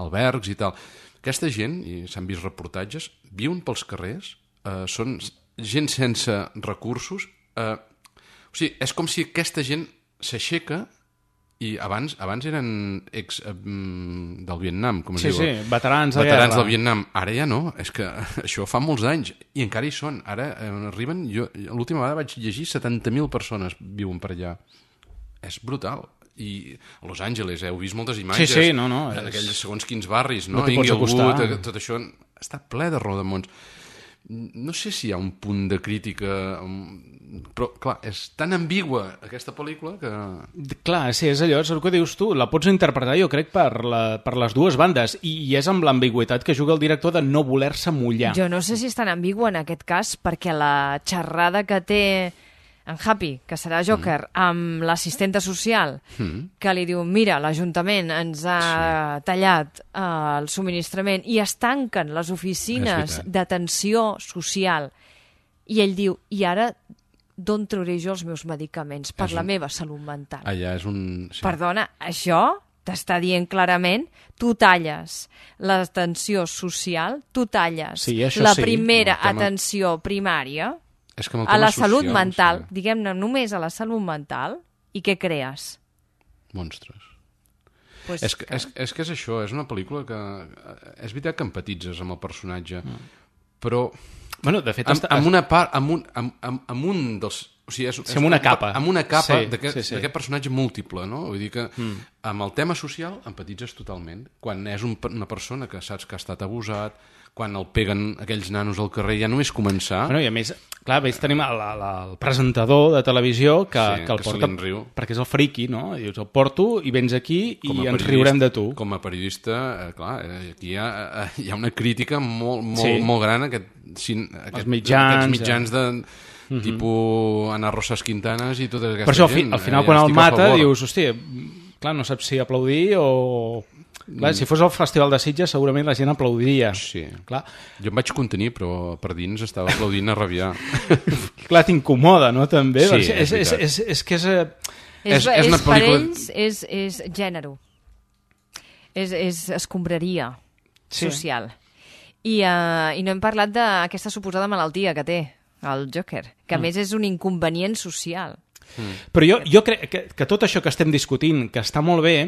albergs i tal. Aquesta gent, i s'han vist reportatges, viuen pels carrers, eh, són gent sense recursos. Eh, o sigui, és com si aquesta gent s'aixeca i abans abans eren ex eh, del Vietnam, com es sí, diu. Sí, sí, veterans de veterans guerra. del Vietnam. Ara ja no, és que això fa molts anys i encara hi són. Ara eh, arriben, jo l'última vegada vaig llegir setanta mil persones viuen per allà. És brutal. I a Los Angeles, eh, heu vist moltes imatges sí, sí, no, no, en és... aquells segons quins barris, no? No t'hi pots Inglewood, acostar. tot això està ple de rodamons. No sé si hi ha un punt de crítica, però clar, és tan ambigua aquesta pel·lícula que... Clar, sí, és allò, és el que dius tu, la pots interpretar jo crec per, la, per les dues bandes i, i és amb l'ambigüitat que juga el director de no voler-se mullar. Jo no sé si és tan ambigu en aquest cas perquè la xerrada que té en Happy, que serà Joker, mm. amb l'assistenta social, mm. que li diu, mira, l'Ajuntament ens ha sí. tallat uh, el subministrament i es tanquen les oficines d'atenció social. I ell diu, i ara d'on trauré jo els meus medicaments per és la un... meva salut mental? Allà és un... Sí. Perdona, això t'està dient clarament, tu talles l'atenció social, tu talles sí, la sí. primera tema... atenció primària... És que a la social, salut mental, sí. diguem-ne, només a la salut mental, i què crees? Monstres. Pues és, que, que... És, és que és això, és una pel·lícula que... És veritat que empatitzes amb el personatge, mm. però... Bueno, de fet... Amb, està... amb una part... Amb un, amb, amb, amb un dels... O sigui, és, sí, amb una capa. Amb una capa sí, d'aquest sí, sí. personatge múltiple, no? Vull dir que mm. amb el tema social empatitzes totalment. Quan és un, una persona que saps que ha estat abusat, quan el peguen aquells nanos al carrer, ja només començar... Bueno, i a més, clar, a més tenim el, el, el presentador de televisió que, sí, que el que porta... riu. Perquè és el friqui, no? I dius, el porto i vens aquí i ens riurem de tu. Com a periodista, eh, clar, aquí hi ha, eh, hi ha una crítica molt, molt, sí. molt gran a aquest, aquest, Els mitjans, aquests mitjans de... Uh-huh. tipus Ana Rosas Quintanas i tota aquesta per això, gent. al final, ja quan el mata, favor. dius, hòstia, clar, no saps si aplaudir o... Clar, si fos el Festival de Sitges, segurament la gent aplaudiria. Sí. Clar. Jo em vaig contenir, però per dins estava aplaudint a rabiar. Clar, t'incomoda, no, també? Sí, és, és, és, és, és que és... És, és, és, és per pel·lícula... ells, és, és gènere. És, és escombraria sí. social. I, uh, I no hem parlat d'aquesta suposada malaltia que té el Joker, que a mm. més és un inconvenient social. Mm. Però jo, jo crec que, que tot això que estem discutint, que està molt bé,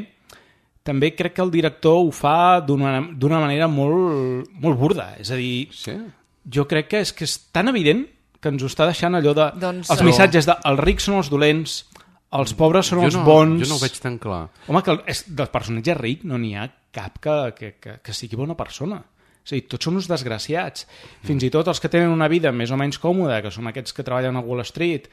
també crec que el director ho fa d'una manera molt, molt burda. És a dir, sí? jo crec que és, que és tan evident que ens ho està deixant allò de... Doncs, els missatges de els rics són els dolents, els pobres són jo els no, bons... Jo no ho veig tan clar. Home, que és, del personatge ric no n'hi ha cap que, que, que, que sigui bona persona. És a dir, tots són uns desgraciats. Fins i tot els que tenen una vida més o menys còmoda, que són aquests que treballen a Wall Street,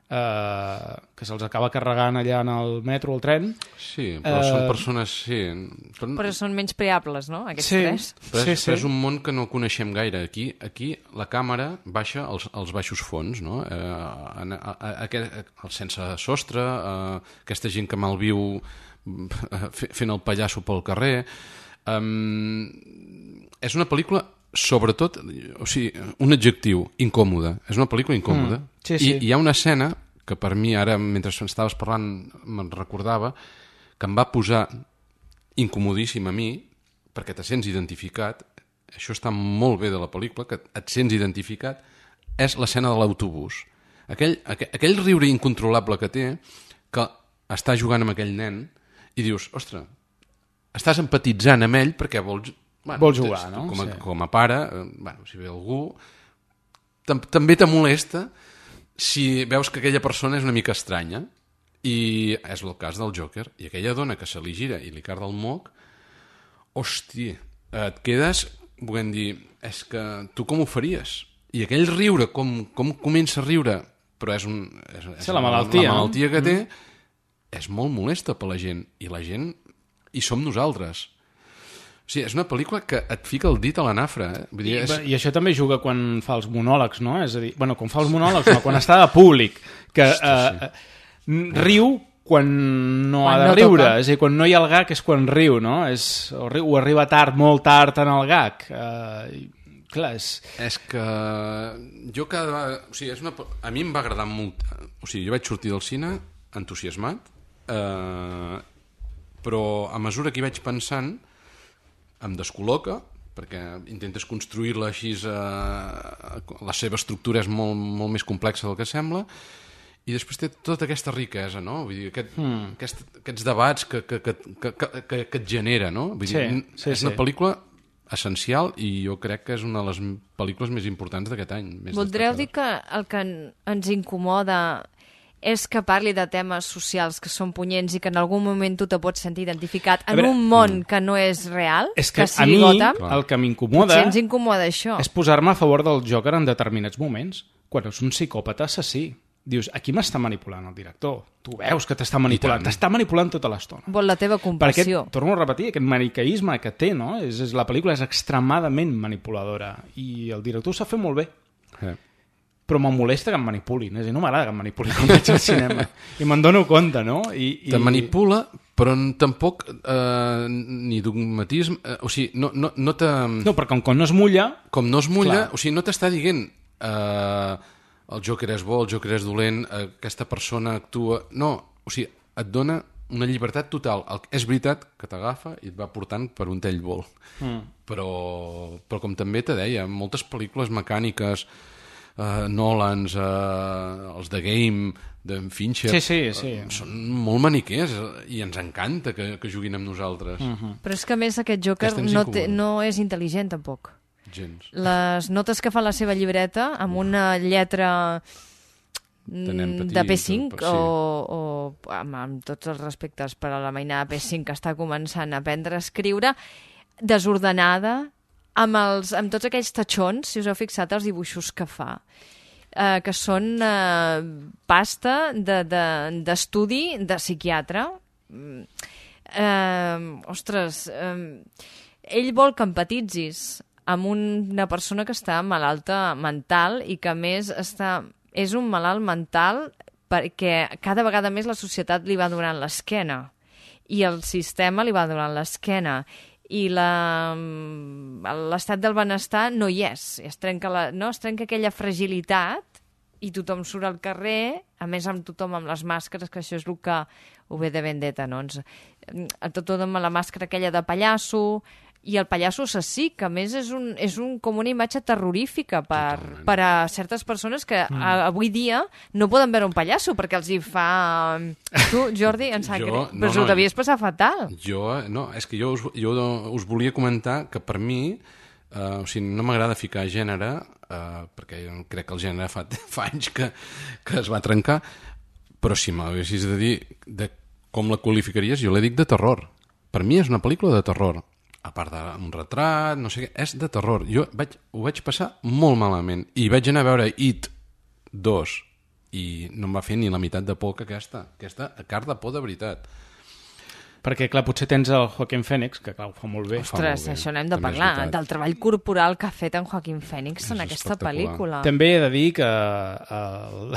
eh, que se'ls acaba carregant allà en el metro o el tren... Sí, però eh... són persones... Sí. Però, però són menys preables, no?, aquests sí, tres. Però és, sí, sí. però és un món que no coneixem gaire. Aquí, aquí la càmera baixa als, als baixos fons, no? Eh, a, a, a, a, el sense sostre, eh, aquesta gent que malviu fent el pallasso pel carrer... Um, és una pel·lícula, sobretot, o sigui, un adjectiu, incòmoda. És una pel·lícula incòmoda. Mm, sí, sí. I hi ha una escena que per mi, ara, mentre estaves parlant, me'n recordava, que em va posar incomodíssim a mi, perquè te sents identificat, això està molt bé de la pel·lícula, que et sents identificat, és l'escena de l'autobús. Aquell, aquell, aquell riure incontrolable que té, que està jugant amb aquell nen, i dius, ostres, estàs empatitzant amb ell perquè vols... Bueno, vol jugar, no? Com a, sí. com a pare, bueno, si ve algú, tam també te molesta si veus que aquella persona és una mica estranya, i és el cas del Joker, i aquella dona que se li gira i li carda el moc, hòstia, et quedes, volem dir, és que tu com ho faries? I aquell riure, com, com comença a riure, però és, un, és, és sí, la malaltia, la malaltia que té, mm. és molt molesta per la gent, i la gent i som nosaltres. O sigui, és una pel·lícula que et fica el dit a la nafra. Eh? Vull dir, I, és... I això també juga quan fa els monòlegs, no? És a dir, bueno, quan fa els monòlegs, no, quan està de públic, que eh, riu quan no Quan ha de no riure. toca. És a dir, quan no hi ha el gag és quan riu, no? És, o, ri- o arriba tard, molt tard en el gag. Eh, i, clar, és... És que jo cada vegada... O sigui, és una... a mi em va agradar molt... O sigui, jo vaig sortir del cine entusiasmat, eh, però a mesura que hi vaig pensant em descol·loca, perquè intentes construir-la així, eh, la seva estructura és molt, molt més complexa del que sembla, i després té tota aquesta riquesa, no? Vull dir, aquest, mm. aquest, aquests debats que, que, que, que, que, que et genera, no? Vull dir, Sí, sí, és una sí. pel·lícula essencial i jo crec que és una de les pel·lícules més importants d'aquest any. Més Voldreu dir destacades. que el que en- ens incomoda és que parli de temes socials que són punyents i que en algun moment tu te pots sentir identificat en veure, un món que no és real, És que, que a sigui mi Gotham? el que m'incomoda Potser ens incomoda això. és posar-me a favor del Joker en determinats moments, quan és un psicòpata assassí. Dius, aquí m'està manipulant el director. Tu veus que t'està manipulant. T'està manipulant tota l'estona. Vol la teva Per compassió. aquest, torno a repetir, aquest maniqueisme que té, no? És, és, la pel·lícula és extremadament manipuladora i el director ho sap fer molt bé. Eh. Però em molesta que em manipulin. És a dir, no m'agrada que em manipulin quan vaig al cinema. I me'n dono compte, no? I, i... Te manipula, però n- tampoc eh, ni dogmatisme... Eh, o sigui, no, no, no te... No, perquè com, com no es mulla... Com no es mulla, Clar. o sigui, no t'està dient eh, el Joker és bo, el Joker és dolent, eh, aquesta persona actua... No, o sigui, et dona una llibertat total. El, és veritat que t'agafa i et va portant per un tell vol. Mm. Però, però com també te deia, moltes pel·lícules mecàniques, eh, Nolans, eh, els de Game, d'en Fincher... Sí, sí, sí. Eh, són molt maniquers i ens encanta que, que juguin amb nosaltres. Mm-hmm. Però és que a més aquest Joker Aquesta ens no, té, incomoda. no és intel·ligent tampoc. Gens. Les notes que fa la seva llibreta amb una lletra nen petit, de P cinc sí. o, o amb, amb tots els respectes per a la mainada P cinc que està començant a aprendre a escriure, desordenada, amb, els, amb tots aquells tatxons, si us heu fixat els dibuixos que fa, eh, que són eh, pasta d'estudi de, de, de psiquiatre. Mm. Eh, ostres, eh, ell vol que empatitzis amb una persona que està malalta mental i que a més està, és un malalt mental perquè cada vegada més la societat li va donant l'esquena i el sistema li va donant l'esquena i la- l'estat del benestar no hi és. Es trenca, la, no? es trenca aquella fragilitat i tothom surt al carrer, a més amb tothom amb les màscares, que això és el que ho ve de Vendetta, no? Ens, a tothom amb la màscara aquella de pallasso, i el pallasso assassí, que a més és, un, és un, com una imatge terrorífica per, per a certes persones que Mm. a, avui dia no poden veure un pallasso perquè els hi fa... Tu, Jordi, em sap Jo- greu, no, però us ho no, devies passar fatal. Jo, eh, no, és que jo us, jo us volia comentar que per mi, eh, o sigui, no m'agrada ficar gènere, eh, perquè jo crec que el gènere fa, fa anys que, que es va trencar, però si m'haguessis de dir de com la qualificaries, jo la dic de terror. Per mi és una pel·lícula de terror. A part d'un retrat, no sé què, és de terror. Jo vaig, ho vaig passar molt malament. I vaig anar a veure It dos i no em va fer ni la meitat de por que aquesta. Aquesta car de por de veritat. Perquè, clar, potser tens el Joaquin Phoenix, que clar, ho fa molt bé. Ostres, això n'hem de parlar, del treball corporal que ha fet en Joaquin Phoenix en aquesta pel·lícula. També he de dir que el...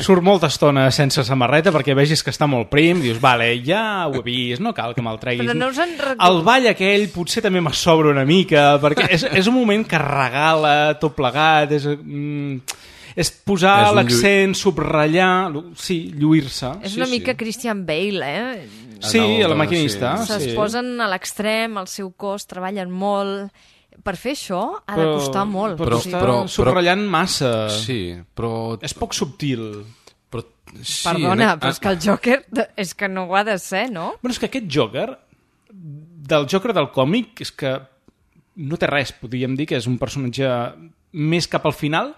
surt molta estona sense samarreta perquè vegis que està molt prim, dius, vale, ja ho he vist, no cal que me'l treguis. Però no us en recordo- El ball aquell potser també me sobra una mica, perquè és, és un moment que regala tot plegat, és... Mm, és posar És un l'accent, subratllar, sí, lluir-se. És una mica Christian Bale, eh? Sí, a la maquinista. Se'ls sí. posen a l'extrem, al seu cos, treballen molt... Per fer això ha de Però- costar molt. Però, O sigui, està subratllant massa. Sí, però... És poc subtil. Però, sí, Perdona, en- però és que el Joker és que no ho ha de ser, no? Bueno, és que aquest Joker, del Joker del còmic, és que no té res, podríem dir que és un personatge més cap al final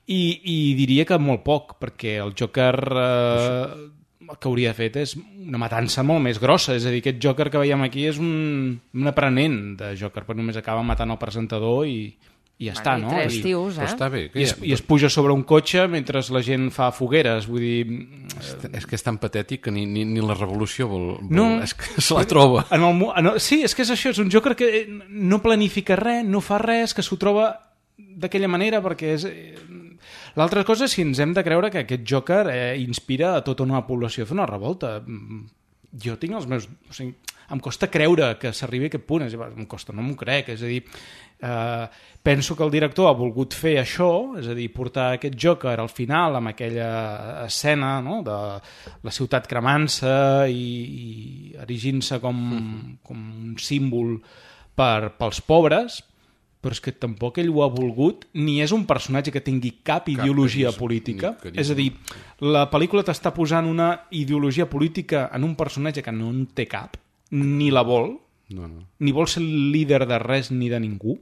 i, i diria que molt poc, perquè el Joker eh, el que hauria fet és una matança molt més grossa, és a dir, aquest Joker que veiem aquí és un, un aprenent de Joker, però només acaba matant el presentador i, i ja està, no? Tres tios, eh? Està bé. I es, I es puja sobre un cotxe mentre la gent fa fogueres, vull dir... És que és tan patètic que ni, ni, ni la revolució vol, vol... No, és que se la troba. En el, en el, sí, és que és això, és un Joker que no planifica res, no fa res, que s'ho troba d'aquella manera, perquè és... L'altra cosa és si ens hem de creure que aquest Joker eh, inspira a tota una població a fer una revolta. Jo tinc els meus... O sigui, em costa creure que s'arribi a aquest punt, és, em costa, no m'ho crec, és a dir, eh, penso que el director ha volgut fer això, és a dir, portar aquest Joker al final amb aquella escena, no?, de la ciutat cremant-se i, i erigint-se com, mm. com un símbol per, pels pobres, però és que tampoc ell ho ha volgut, ni és un personatge que tingui cap, cap ideologia carisma, política. És a dir, la pel·lícula t'està posant una ideologia política en un personatge que no en té cap, ni la vol, no, no. ni vol ser líder de res ni de ningú.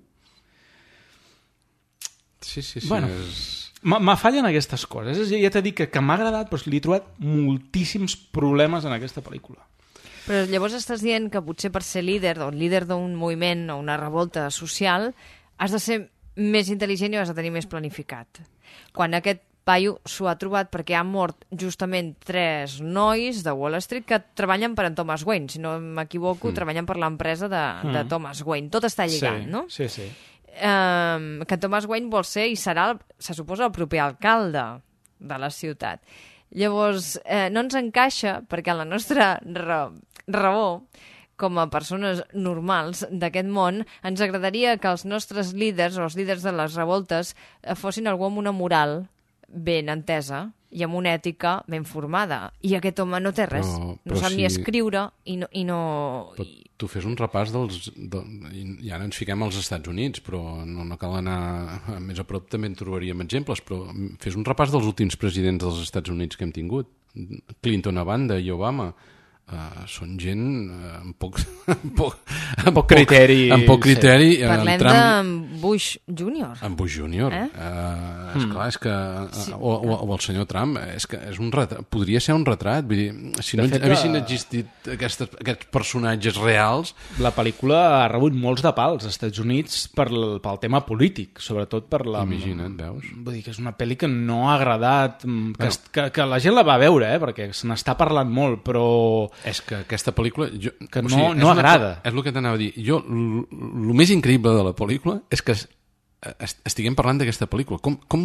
Sí, sí, sí. Bueno, és... m'afallen aquestes coses. Ja t'he dit que, que m'ha agradat, però li he trobat moltíssims problemes en aquesta pel·lícula. Però llavors estàs dient que potser per ser líder, o líder d'un moviment o una revolta social, has de ser més intel·ligent i has de tenir més planificat. Quan aquest paio s'ho ha trobat perquè han mort justament tres nois de Wall Street que treballen per en Thomas Wayne, si no m'equivoco, mm. treballen per l'empresa de, mm. de Thomas Wayne. Tot està lligat, sí, no? Sí, sí. Um, que Thomas Wayne vol ser i serà, se suposa, el proper alcalde de la ciutat. Llavors, eh, no ens encaixa perquè la nostra raó, raó com a persones normals d'aquest món, ens agradaria que els nostres líders o els líders de les revoltes fossin algú amb una moral ben entesa i amb una ètica ben formada. I aquest home no té res. Però, però no sap si... ni escriure i no... I no... Però tu fes un repàs dels... De... I ara ens fiquem als Estats Units, però no, no cal anar més a prop, també en trobaríem exemples, però fes un repàs dels últims presidents dels Estats Units que hem tingut. Clinton a banda i Obama. Uh, són gent uh, amb poc, amb poc, amb poc criteri, amb poc criteri sí. Parlem Trump... de Bush júnior en Bush júnior eh? uh, esclar, és que sí. o, o, o el senyor Trump és que és un retrat, podria ser un retrat, vull dir, si no fet, haguessin existit aquestes, aquests personatges reals. La pel·lícula ha rebut molts de pals als Estats Units per, pel tema polític, sobretot per la... Imagina't, veus? Vull dir que és una pel·li que no ha agradat, que, bueno. que, que la gent la va veure, eh? Perquè se n'està parlant molt, però és que aquesta pel·lícula jo, que no, o sigui, no agrada una, és el que t'anava a dir jo, el més increïble de la pel·lícula és que estiguem parlant d'aquesta pel·lícula, com, com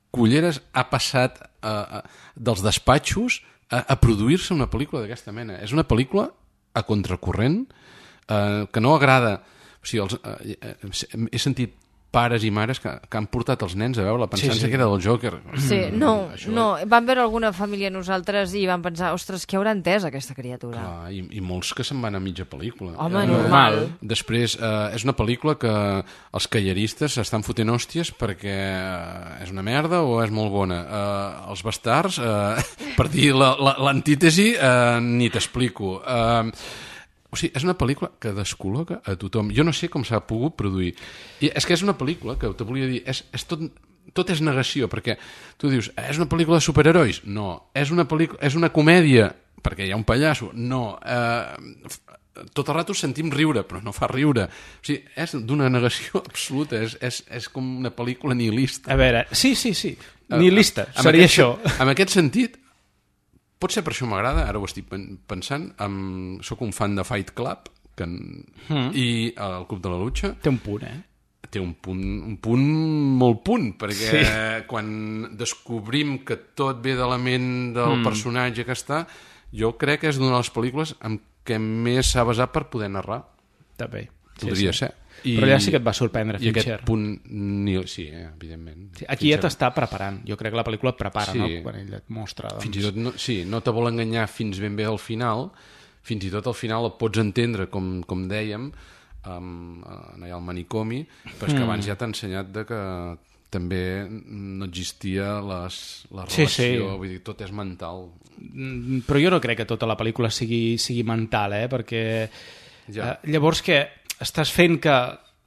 culleres ha passat uh, dels despatxos a, a produir-se una pel·lícula d'aquesta mena. És una pel·lícula a contracorrent uh, que no agrada, o sigui, els, uh, he sentit pares i mares que, que han portat els nens a veure-la pensant sí, sí. que era del Joker. Sí, no, Això... no, van veure alguna família nosaltres i van pensar, ostres, què haurà entès aquesta criatura? Clar, i, i molts que se'n van a mitja pel·lícula. Home, eh, normal. Després, eh, és una pel·lícula que els callaristes s'estan fotent hòsties perquè és una merda o és molt bona. Eh, els bastards, eh, per dir l'antítesi, eh, ni t'explico. Eh, O sigui, és una pel·lícula que descol·loca a tothom. Jo no sé com s'ha pogut produir. I és que és una pel·lícula que, te volia dir, és, és tot, tot és negació, perquè tu dius, és una pel·lícula de superherois? No. És una, pel·lícula, és una comèdia? Perquè hi ha un pallasso? No. Eh, tot el rato sentim riure, però no fa riure. O sigui, és d'una negació absoluta. És, és, és com una pel·lícula nihilista. A veure, sí, sí, sí. Nihilista, eh, seria aquest, això. En aquest sentit, pot ser per això m'agrada, ara ho estic pensant, amb, soc un fan de Fight Club que, mm. i el Club de la Lucha. Té un punt, eh? Té un punt, un punt molt punt, perquè sí. quan descobrim que tot ve de la ment del mm. personatge que està, jo crec que és d'una de les pel·lícules amb què més s'ha basat per poder narrar. També. Podria sí, sí. ser. I, però ja sí que et va sorprendre Fincher. I aquest punt, ni, sí, eh, evidentment. Sí, aquí Fincher. Ja t'està preparant. Jo crec que la pel·lícula et prepara, sí. no? Quan ell et mostra. Doncs... Fins i tot, no, sí, no te vol enganyar fins ben bé al final. Fins i tot al final el pots entendre, com, com dèiem, um, allà al manicomi, però és que abans mm. ja t'ha ensenyat de que també no existia les, la relació, sí, sí. vull dir, tot és mental. Però jo no crec que tota la pel·lícula sigui, sigui mental, eh? Perquè ja. eh, llavors que estàs fent que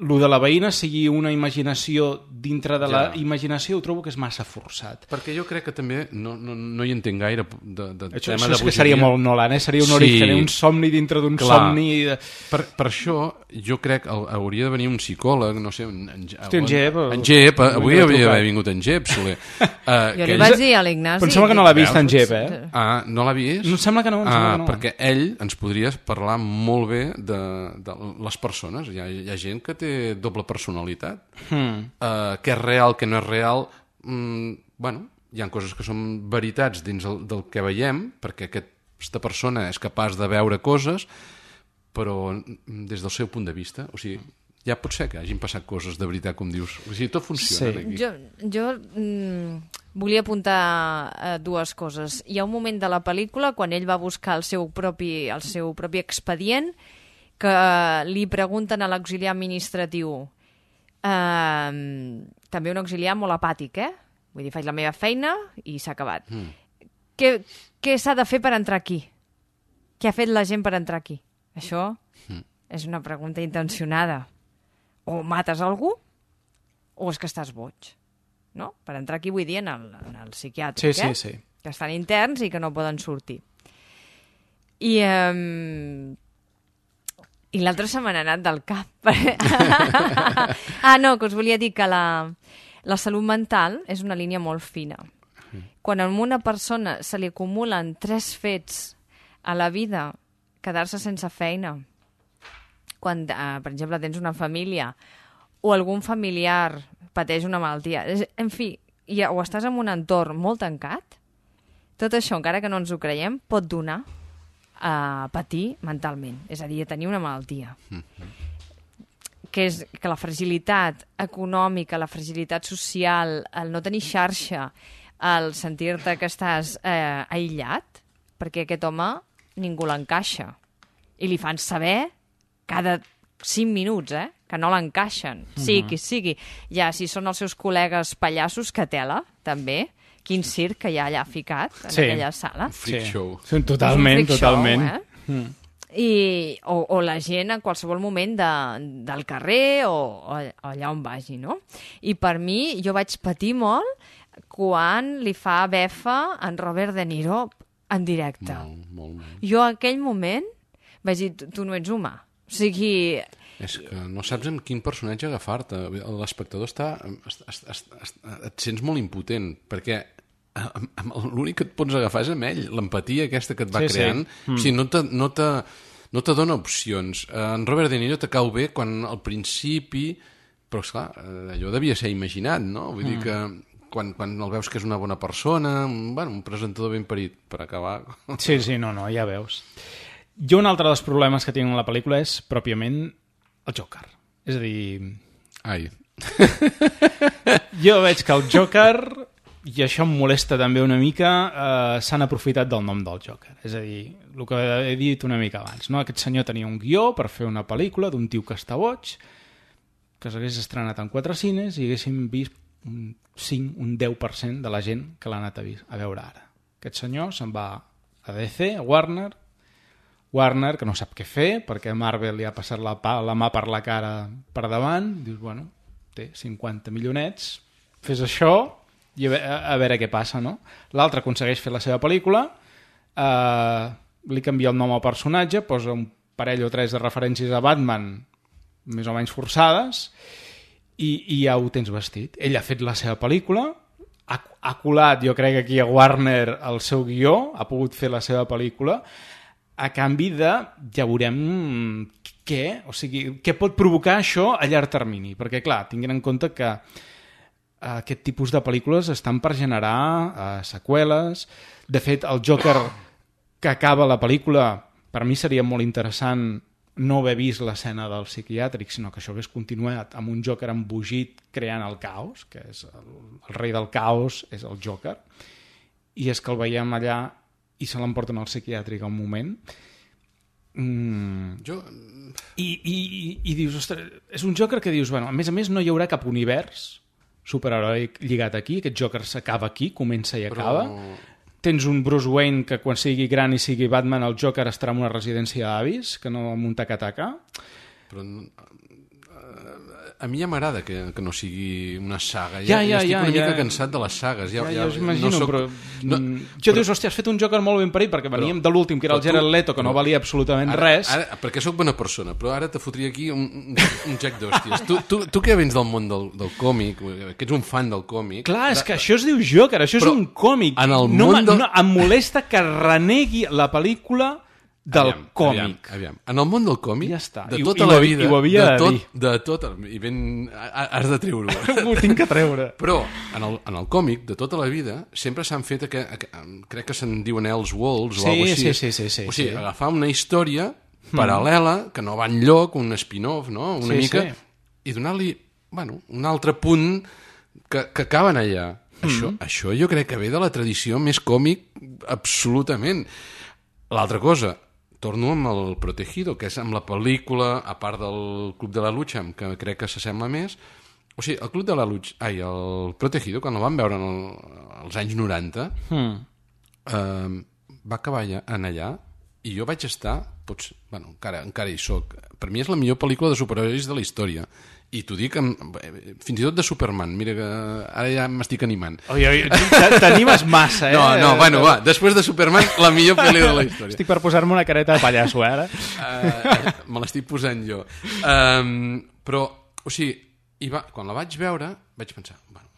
lo de la veïna sigui una imaginació dintre de la Ja. imaginació, ho trobo que és massa forçat. Perquè jo crec que també no, no, no hi entenc gaire de, de Això, tema això de és que seria molt Nolan, eh? Seria un origen, un somni dintre d'un somni... De... Per, per això jo crec que hauria de venir un psicòleg, no sé, en, en, Hosti, en Jep, en Jep, avui hauria d'haver vingut en Jep, Soler. Uh, jo li vaig dir a l'Ignasi... Però em sembla que no l'ha vist en Jep, eh? Ah, no l'ha vist? No, em sembla que no, em sembla ah, que no. Perquè ell ens podria parlar molt bé de, de les persones. Hi ha, hi ha gent que té doble personalitat. Hmm. Uh, què és real, què no és real. Mm, bueno, hi ha coses que són veritats dins el, del que veiem, perquè aquesta persona és capaç de veure coses, però des del seu punt de vista, o sigui, ja pot ser que hagin passat coses de veritat, com dius. O sigui, tot funciona Sí. aquí. Jo, jo mm, volia apuntar eh, dues coses. Hi ha un moment de la pel·lícula quan ell va buscar el seu propi, el seu propi expedient, que li pregunten a l'auxiliar administratiu, eh, també un auxiliar molt apàtic, eh? Vull dir, faig la meva feina i s'ha acabat. Mm. Què, què s'ha de fer per entrar aquí? Què ha fet la gent per entrar aquí? Això mm. és una pregunta intencionada. O mates algú o és que estàs boig. No? Per entrar aquí vull dir en el, en el psiquiàtric, sí, eh? sí, sí. Que estan interns i que no poden sortir. I... Um... I l'altre se m'ha anat del cap. ah, no, que us volia dir que la, la salut mental és una línia molt fina. Quan a una persona se li acumulen tres fets a la vida, quedar-se sense feina, quan, eh, per exemple, tens una família o algun familiar pateix una malaltia, en fi, ja, o estàs en un entorn molt tancat, tot això, encara que no ens ho creiem, pot donar a patir mentalment, és a dir, a tenir una malaltia. Mm-hmm. Que és que la fragilitat econòmica, la fragilitat social, el no tenir xarxa, el sentir-te que estàs eh, aïllat, perquè aquest home ningú l'encaixa. I li fan saber cada cinc minuts, eh, que no l'encaixen. Mm-hmm. Sí, qui sigui. Ja, si són els seus col·legues pallassos, que tela, també. Quin circ que hi ha allà ficat, en sí. aquella sala. Un freak show. Sí, totalment, freak totalment. show, eh? Mm. I, o, o la gent en qualsevol moment de, del carrer o, o allà on vagi, no? I per mi, jo vaig patir molt quan li fa befa en Robert De Niro en directe. Molt, molt, molt. Jo en aquell moment vaig dir, tu, tu no ets humà. O sigui... És que no saps amb quin personatge agafar-te. L'espectador està... Est, est, est, est, et sents molt impotent, perquè l'únic que et pots agafar és amb ell. L'empatia aquesta que et va sí, creant. Sí. Mm. O sigui, no te, no te, no te dona opcions. En Robert De Niro te cau bé quan al principi... Però, esclar, allò devia ser imaginat, no? Vull mm. dir que quan, quan el veus que és una bona persona, bueno, un presentador ben parit, per acabar... Sí, sí, no, no, ja veus. Jo un altre dels problemes que tinc en la pel·lícula és pròpiament el Joker. És a dir... Ai. Jo veig que el Joker, i això em molesta també una mica, eh, s'han aprofitat del nom del Joker. És a dir, el que he dit una mica abans, no? Aquest senyor tenia un guió per fer una pel·lícula d'un tio que està boig, que s'hagués estrenat en quatre cines i haguéssim vist un cinc, un deu per cent de la gent que l'ha anat a, a veure ara. Aquest senyor se'n va a D C, a Warner, Warner, que no sap què fer, perquè Marvel li ha passat la, pa, la mà per la cara per davant, dius, bueno, té cinquanta milionets, fes això i a, a, a veure què passa, no? L'altre aconsegueix fer la seva pel·lícula, eh, li canvia el nom al personatge, posa un parell o tres de referències a Batman més o menys forçades, i, i ja ho tens vestit. Ell ha fet la seva pel·lícula, ha, ha colat, jo crec, aquí a Warner el seu guió, ha pogut fer la seva pel·lícula, a canvi de, ja veurem què, o sigui, què pot provocar això a llarg termini, perquè clar, tinguin en compte que eh, aquest tipus de pel·lícules estan per generar eh, seqüeles. De fet, el Joker que acaba la pel·lícula, per mi seria molt interessant no haver vist l'escena del psiquiàtric, sinó que això hagués continuat amb un Joker embogit creant el caos, que és el, el rei del caos, és el Joker, i és que el veiem allà i se l'emporten al psiquiàtric a un moment. Mm. Jo... I, i, i, i dius, ostres, és un Joker que dius, bueno, a més a més no hi haurà cap univers superheroic lligat aquí, aquest Joker s'acaba aquí, comença i acaba. Però... Tens un Bruce Wayne que quan sigui gran i sigui Batman, el Joker estarà en una residència d'avis, que no en un taca-taca. però a mi ja m'agrada que, que no sigui una saga. Ja, ja, ja, ja estic ja, una mica ja. cansat de les sagues. Ja, ja, ja, ja, us imagino, no soc, però... No, jo però, dius, hòstia, has fet un Joker molt ben parit, perquè veníem però, de l'últim, que era el Jared Leto, que però, no valia absolutament ara, res. Ara, perquè sóc bona persona, però ara te fotria aquí un, un, un jack d'hòsties. Tu, tu, tu que vens del món del, del còmic, que ets un fan del còmic... Clar, és que això es diu Joker, això és un còmic. En el no, món del... no, em molesta que renegui la pel·lícula del aviam, còmic. Aviam, aviam. En el món del còmic, ja està. de I, tota i, la vida... I ho havia de de tot, dir. De tot, i ben... Has de treure-ho. Ho tinc que treure. Però, en el, en el còmic, de tota la vida, sempre s'han fet... Que, crec que se'n diuen Elseworlds sí, o alguna cosa sí, així. sí, sí, sí, o sigui, sí. agafar una història paral·lela, que no va enlloc, un spin-off, no? Una sí, mica... Sí. I donar-li, bueno, un altre punt que, que acaben allà. Mm. Això, això jo crec que ve de la tradició més còmic absolutament. L'altra cosa, torno amb el Protegido, que és amb la pel·lícula, a part del Club de la Lucha, que crec que s'assembla més. O sigui, el Club de la Lucha, ai, el Protegido, quan el van veure en el, als anys noranta, mm. eh, va acabar allà, en allà, i jo vaig estar, pots, bueno, encara, encara hi soc. Per mi és la millor pel·lícula de superherois de la història. I t'ho dic, amb, fins i tot de Superman. Mira que ara ja m'estic animant. Oi, oi, t'animes massa, eh? No, no, bueno, va, després de Superman, la millor pel·lícula de la història. Estic per posar-me una careta de pallasso, eh, ara. Uh, me l'estic posant jo. Um, però, o sigui, i va, quan la vaig veure, vaig pensar, bueno,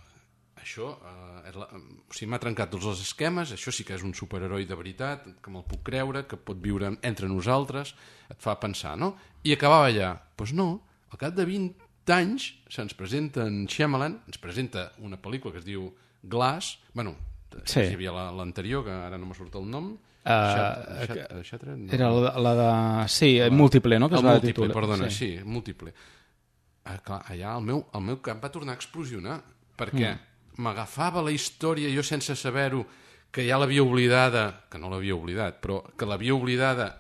això uh, és la, o sigui, m'ha trencat tots els esquemes, això sí que és un superheroi de veritat, que me'l puc creure, que pot viure entre nosaltres, et fa pensar, no? I acabava allà. Doncs pues no, al cap de vint anys se'ns presenta en Shyamalan, ens presenta una pel·lícula que es diu Glass, bueno, sí. Hi havia l'anterior, que ara no me surt el nom, uh, Shattered, no. Era la, la de... Sí, la, múltiple, no? Que el es va múltiple, titular. perdona, sí, sí múltiple. Ah, clar, allà el meu, el meu cap va tornar a explosionar, perquè mm. m'agafava la història jo sense saber-ho, que ja l'havia oblidada, que no l'havia oblidat, però que l'havia oblidada,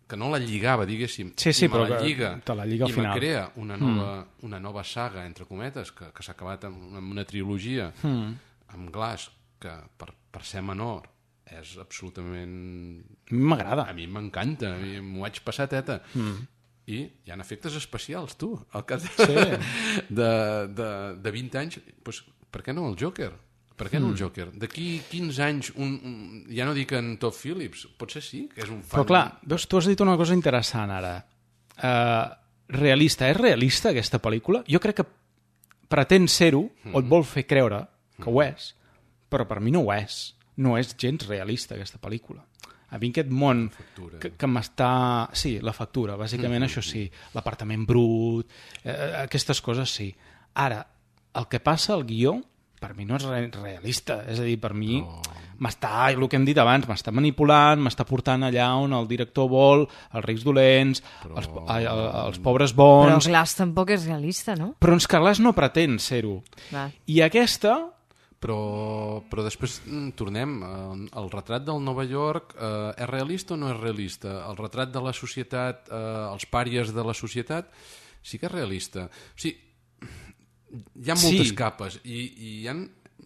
que no la lligava, diguéssim, sí, sí, i me però la lliga, te la lliga al i final. me crea una nova, mm. una nova saga, entre cometes, que, que s'ha acabat amb, amb una trilogia, mm. amb Glass, que per, per ser menor és absolutament... M'agrada. A mi m'encanta, m'ho vaig passar teta. Mm. I hi ha efectes especials, tu, al cas de, sí. de, de, de vint anys, doncs, per què no el Joker? Per què no el Joker? D'aquí quinze anys, un, un, ja no dic en Todd Phillips, potser sí, que és un fan... Però clar, veus, tu has dit una cosa interessant ara. Uh, realista, és realista aquesta pel·lícula? Jo crec que pretén ser-ho, mm-hmm. o et vol fer creure que ho és, però per mi no ho és. No és gens realista aquesta pel·lícula. A mi aquest món que, que m'està... Sí, la factura, bàsicament mm-hmm. això sí. L'apartament brut, eh, aquestes coses sí. Ara, el que passa al guió, per mi no és realista. És a dir, per mi no. m'està, el que hem dit abans, m'està manipulant, m'està portant allà on el director vol, els rics dolents, però... els, ai, els pobres bons... Però Glass tampoc és realista, no? Però és que Glass no pretén ser-ho. Clar. I aquesta... Però, però després tornem, eh, el retrat del Nova York eh, és realista o no és realista? El retrat de la societat, eh, els pàries de la societat, sí que és realista. O sigui, hi ha moltes sí. capes i, i hi ha...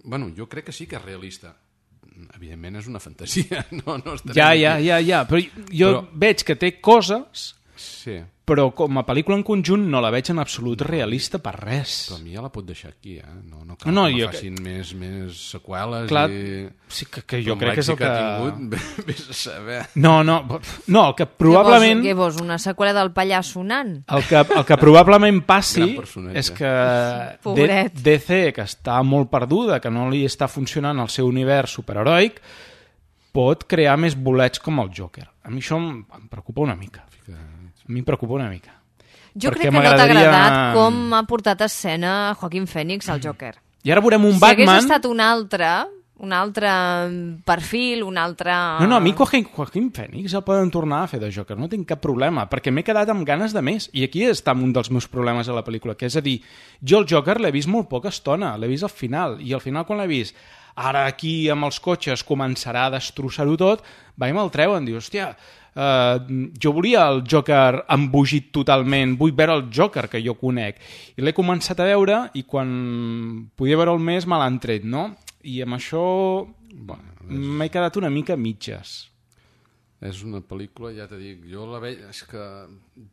Bueno, jo crec que sí que és realista. Evidentment és una fantasia. No, no ja, ja, ja, ja, però jo però... veig que té coses... Sí. Però com a pel·lícula en conjunt no la veig en absolut realista per res. Però a mi ja la pot deixar aquí, eh? No, no cal no, que jo... facin més, més seqüeles. Clar, i... sí, que, que jo crec que és el que... que ha tingut, vés a saber. No, no, no, el que probablement... Què vols, una seqüela del pallasso sonant? El que, el que probablement passi és que Pobret. D C, que està molt perduda, que no li està funcionant el seu univers superheroic, pot crear més bolets com el Joker. A mi això em, em preocupa una mica. A mi em preocupa una mica. Jo crec que no t'ha agradat com ha portat a escena Joaquin Phoenix al Joker. I ara veurem un si Batman... Si hagués estat un altre, un altre perfil, un altre... No, no, a mi Joaquin, Joaquin Phoenix el poden tornar a fer de Joker, no tinc cap problema, perquè m'he quedat amb ganes de més. I aquí està un dels meus problemes a la pel·lícula, que és a dir, jo el Joker l'he vist molt poca estona, l'he vist al final, i al final quan l'he vist, ara aquí amb els cotxes començarà a destrossar-ho tot, va i me'l treuen, diu, hòstia... Uh, jo volia el Joker embogit totalment, vull veure el Joker que jo conec, i l'he començat a veure i quan podia veure'l més me l'han tret, no? I amb això bueno, m'he quedat una mica a mitges. És una pel·lícula, ja t'he dit, jo la veig, és que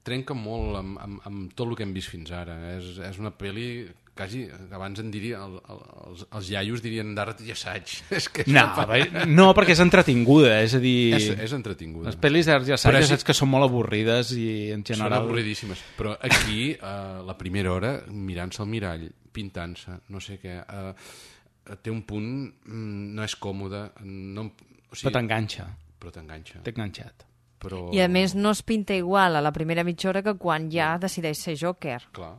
trenca molt amb, amb, amb tot el que hem vist fins ara. És, és una pel·li, quasi, abans en diria, el, el, els, els iaios dirien d'art i assaig. És que és no, una... no, perquè és entretinguda, és a dir... És, és entretinguda. Les pel·lis d'art i assaig, ja saps que són molt avorrides i en general... Són avorridíssimes, però aquí, a la primera hora, mirant-se al mirall, pintant-se, no sé què, eh, té un punt, no és còmode, no, o sigui, però t'enganxa. Però t'enganxa. T'he enganxat. Però... I a més no es pinta igual a la primera mitja hora que quan ja decideix ser Joker. Clar.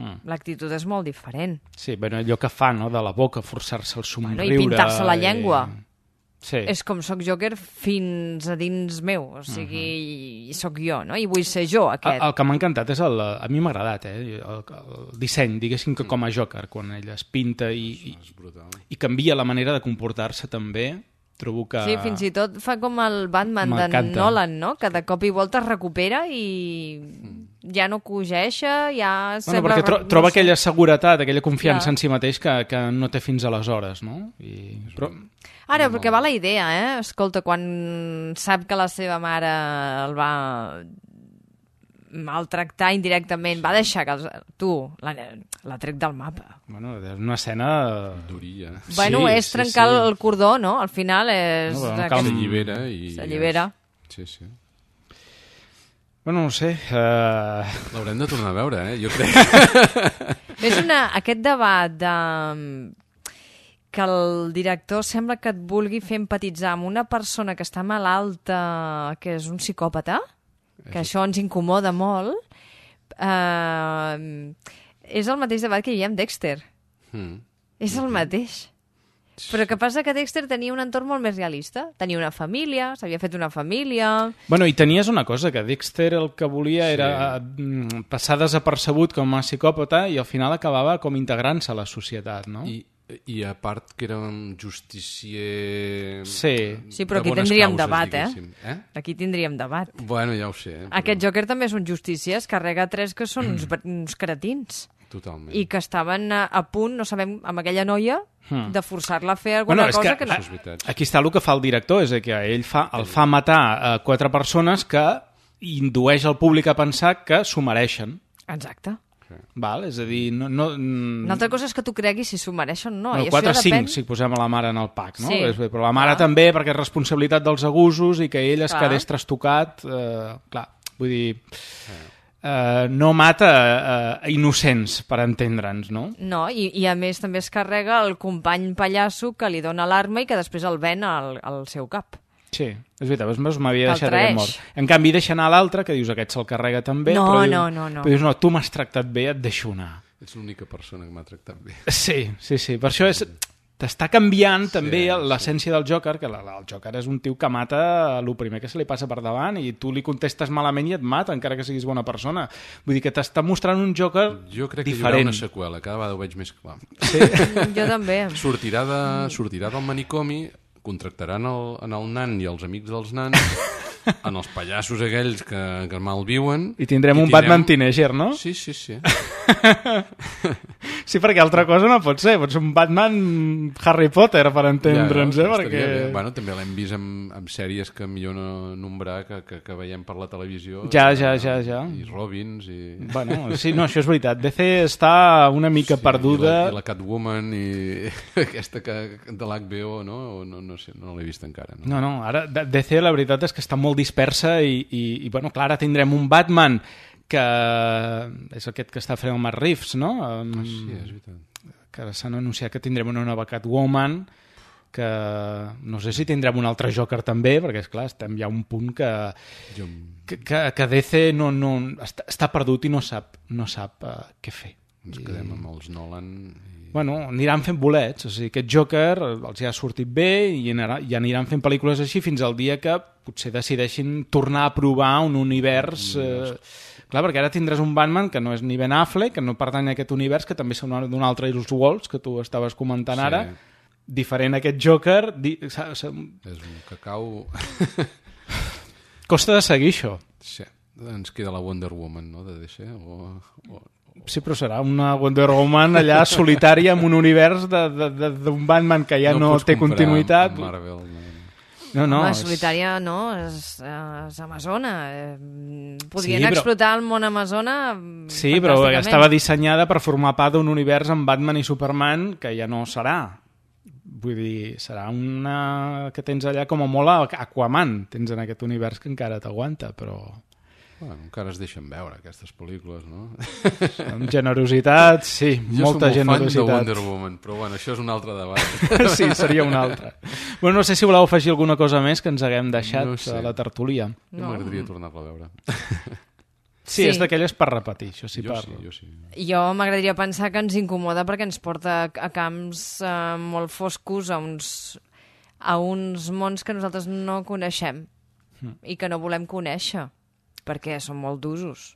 Mm. L'actitud és molt diferent. Sí, bueno, allò que fa, no?, de la boca, forçar-se el somriure... Bueno, i pintar-se la llengua. I... Sí. És com soc Joker fins a dins meu, o sigui, uh-huh. soc jo, no? I vull ser jo, aquest. El, el que m'ha encantat és el... A mi m'ha agradat, eh? El, el disseny, diguéssim, que com a Joker, quan ell es pinta i, i, i canvia la manera de comportar-se també... Trobo que... Sí, fins i tot fa com el Batman de Nolan, no? Que de cop i volta es recupera i ja no cogeixa, ja... Bueno, sembla... perquè tro troba no sé. aquella seguretat, aquella confiança ja. en si mateix que, que no té fins aleshores, no? I... Però... Ara, perquè va la idea, eh? Escolta, quan sap que la seva mare el va maltractar indirectament, va deixar que els... tu l'ha tret del mapa. Bueno, és una escena... duria. Bueno, sí, és sí, trencar sí. el cordó, no? Al final és... No, no, cal... S'allibera i... S'allibera. Sí, sí. Bueno, no sé... Uh... L'haurem de tornar a veure, eh? Jo crec. És una... Aquest debat de... que el director sembla que et vulgui fer empatitzar amb una persona que està malalta, que és un psicòpata, que això ens incomoda molt, eh, és el mateix debat que hi havia amb Dexter. Mm. És el mateix. Però que passa que Dexter tenia un entorn molt més realista. Tenia una família, s'havia fet una família... Bueno, i tenies una cosa, que Dexter el que volia sí. era passar desapercebut com a psicòpata i al final acabava com integrant-se a la societat, no? I... I a part que era un justicier... Sí, sí però de aquí tindríem causes, debat, eh? eh? Aquí tindríem debat. Bueno, ja ho sé. Però... Aquest Joker també és un justicier, es carrega tres que són uns, uns cretins. Totalment. I que estaven a, a punt, no sabem, amb aquella noia, hmm. de forçar-la a fer alguna bueno, cosa que... que... que... Aquí està el que fa el director, és que ell fa, el fa matar a quatre persones que indueix al públic a pensar que s'ho mereixen. Exacte. Val, és a dir... No, no, Una altra cosa és que tu creguis si s'ho mereixen o no. Bueno, quatre o cinc, si posem a la mare en el pack, no? Sí. Però la mare clar. també, perquè és responsabilitat dels abusos i que ell es clar. quedés trastocat... Eh, clar, vull dir... Eh, no mata eh, innocents, per entendre'ns, no? No, i, i a més també es carrega el company pallasso que li dona l'arma i que després el ven al, al seu cap. Sí, és veritat, m'havia deixat aquest mort. En canvi, deixa anar l'altre, que dius aquest se'l carrega també, no, però, no, dius, no, no. però dius, no, tu m'has tractat bé, et deixo anar. Ets l'única persona que m'ha tractat bé. Sí, sí, sí, per això és... T'està canviant sí, també l'essència sí. del Joker, que la, la, el Joker és un tio que mata el primer que se li passa per davant i tu li contestes malament i et mata, encara que siguis bona persona. Vull dir que t'està mostrant un Joker diferent. Jo crec que diferent. Hi haurà una seqüela, cada vegada ho veig més clar. Sí? Jo també. Sortirà, de, sortirà del manicomi, contractaran el, en el nan i els amics dels nans, en els pallassos aquells que, que malviuen... I tindrem i un tindrem... Batman teenager, no? Sí, sí, sí. Sí, perquè altra cosa no pot ser. Pot ser un Batman Harry Potter, per entendre'ns, ja, eh? Perquè... Bueno, també l'hem vist amb, amb sèries que millor no nombrar, que, que, que veiem per la televisió. Ja, ja, ja, ja. I Robins, i... Bueno, sí, no, això és veritat. D C està una mica sí, perduda... I la, i la Catwoman, i aquesta que, de l'H B O, no? O no, no sé, no l'he vist encara. No, no, no, ara D C la veritat és que està molt dispersa i, i, i bueno, clar, ara tindrem un Batman que és aquest que està fent el Matt Reeves, no? Ah, sí, és veritat. Que s'han anunciat que tindrem una nova Catwoman, que no sé si tindrem un altre Joker també, perquè és clar, estem ja a un punt que, jo... que, que, que D C no, no, està, està perdut i no sap, no sap uh, què fer. Ens quedem amb els Nolan... I... Bueno, aniran fent bolets, o sigui, aquest Joker els ja ha sortit bé i, anarà, i aniran fent pel·lícules així fins al dia que potser decideixin tornar a provar un univers... Eh, clar, perquè ara tindràs un Batman que no és ni Ben Affleck, que no pertany a aquest univers, que també són d'un altre Elseworlds, que tu estaves comentant sí. ara, diferent a aquest Joker... Di... És un cacau... Costa de seguir això. Sí, ens queda la Wonder Woman, no?, de D C, o... o... Sí, però serà una Wonder Woman allà solitària en un univers d'un Batman que ja no, no té continuïtat. Marvel, no. No, no, Home, és... Solitària no, és, és amazona. Podrien sí, però... explotar el món amazona Sí, però estava dissenyada per formar part d'un univers amb Batman i Superman que ja no serà. Vull dir, serà una que tens allà com a molt Aquaman, tens en aquest univers que encara t'aguanta, però... Bueno, encara es deixen veure aquestes pel·lícules, no? Amb generositat, sí, jo molta generositat. Jo som molt fan de Wonder Woman, però bueno, això és un altre debat. Sí, seria un altre. Bueno, no sé si voleu afegir alguna cosa més que ens haguem deixat no sé. a la tertúlia. No. M'agradaria tornar-la a veure. Sí, sí, és d'aquelles per repetir, això sí jo parlo. Sí, jo sí. Jo m'agradaria pensar que ens incomoda perquè ens porta a camps eh, molt foscos, a uns, a uns mons que nosaltres no coneixem mm. i que no volem conèixer, perquè són molt d'usos.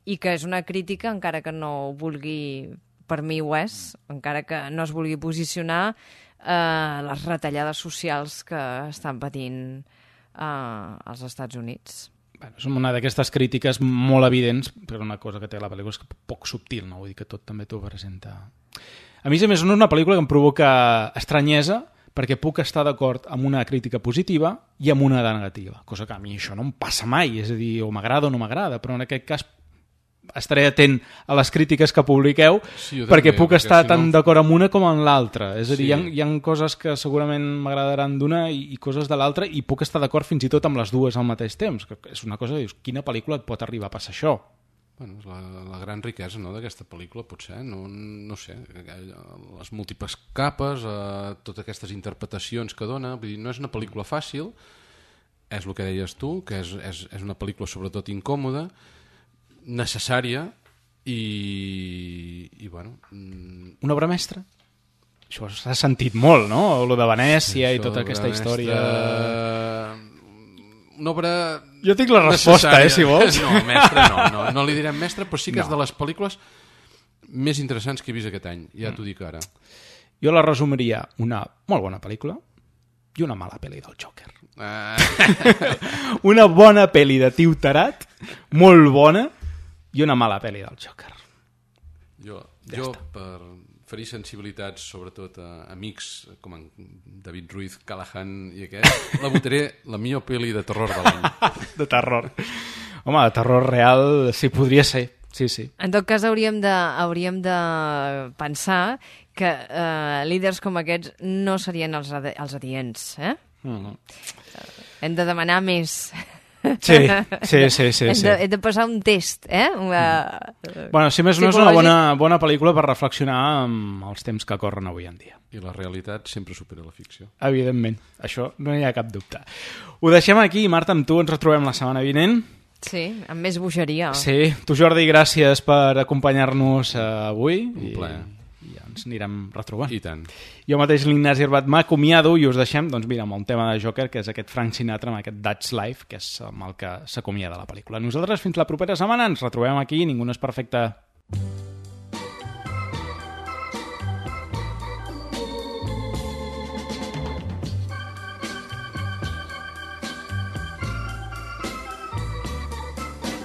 I que és una crítica, encara que no ho vulgui, per mi ho és, encara que no es vulgui posicionar eh, les retallades socials que estan patint eh, als Estats Units. Bueno, és una d'aquestes crítiques molt evidents, però una cosa que té la pel·lícula és que poc subtil, no? Vull dir que tot també t'ho presenta. A mi, a més, no és una pel·lícula que em provoca estranyesa, perquè puc estar d'acord amb una crítica positiva i amb una de negativa, cosa que a mi això no em passa mai, és a dir, o m'agrada o no m'agrada, però en aquest cas estaré atent a les crítiques que publiqueu sí, perquè també, puc perquè estar si tan no... d'acord amb una com amb l'altra, és a dir, sí. hi, ha, hi ha coses que segurament m'agradaran d'una i, i coses de l'altra i puc estar d'acord fins i tot amb les dues al mateix temps, que és una cosa que dius, quina pel·lícula et pot arribar a passar això? Bueno, és la, la gran riquesa, no, d'aquesta pel·lícula, potser, no, no sé, les múltiples capes, eh, totes aquestes interpretacions que dona, vull dir, no és una pel·lícula fàcil, és el que deies tu, que és, és, és una pel·lícula sobretot incòmoda, necessària i, i bueno... Una obra mestra? Això s'ha sentit molt, no? Lo de Venècia sí, i tota aquesta mestra... història... Una obra... Jo tinc la resposta, necessària. eh, si vols. No, mestre no, no, no li direm mestre, però sí que no. és de les pel·lícules més interessants que he vist aquest any, ja mm. t'ho dic ara. Jo la resumiria una molt bona pel·lícula i una mala pel·li del Joker. Uh... Una bona pel·li de Tio Tarat, molt bona, i una mala pel·li del Joker. Jo, ja jo per ferir sensibilitats, sobretot a amics com en David Ruiz, Callahan i aquest, la votaré la millor pel·li de terror de l'any. De terror. Home, de terror real sí, podria ser. Sí, sí. En tot cas, hauríem de, hauríem de pensar que eh, líders com aquests no serien els, adi els adients. Eh? Mm. Hem de demanar més. Sí, sí, sí, sí, hem, sí. de, hem de passar un test, eh? Una... Bueno, si més no és una bona, bona pel·lícula per reflexionar amb els temps que corren avui en dia. I la realitat sempre supera la ficció. Evidentment, això no hi ha cap dubte. Ho deixem aquí, Marta, amb tu ens retrobem la setmana vinent. Sí, amb més bogeria. Sí, tu Jordi, gràcies per acompanyar-nos avui. Un plaer. I ja ens anirem retrobant. I tant. Jo mateix, l'Ignasi Herbat, m'acomiado i us deixem, doncs mira, amb el tema de Joker, que és aquest Frank Sinatra, amb aquest That's Life, que és amb el que s'acomiada la pel·lícula. Nosaltres fins la propera setmana ens retrobem aquí, ningú no és perfecte.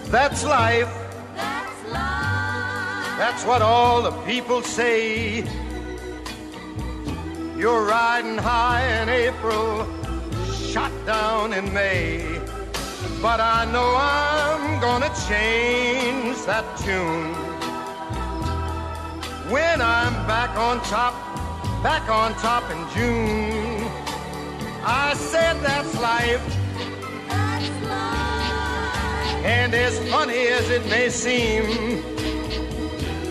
That's life. That's life. That's what all the people say. You're riding high in April, shot down in May. But I know I'm gonna change that tune when I'm back on top, back on top in June. I said that's life. That's life. And as funny as it may seem,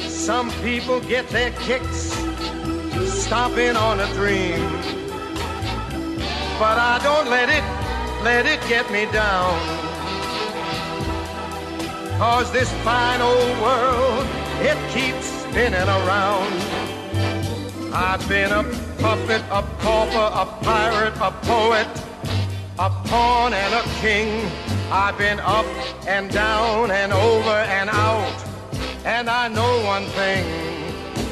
some people get their kicks stomping on a dream. But I don't let it, let it get me down. 'Cause this fine old world, it keeps spinning around. I've been a puppet, a pauper, a pirate, a poet, a pawn and a king. I've been up and down and over and out. And I know one thing,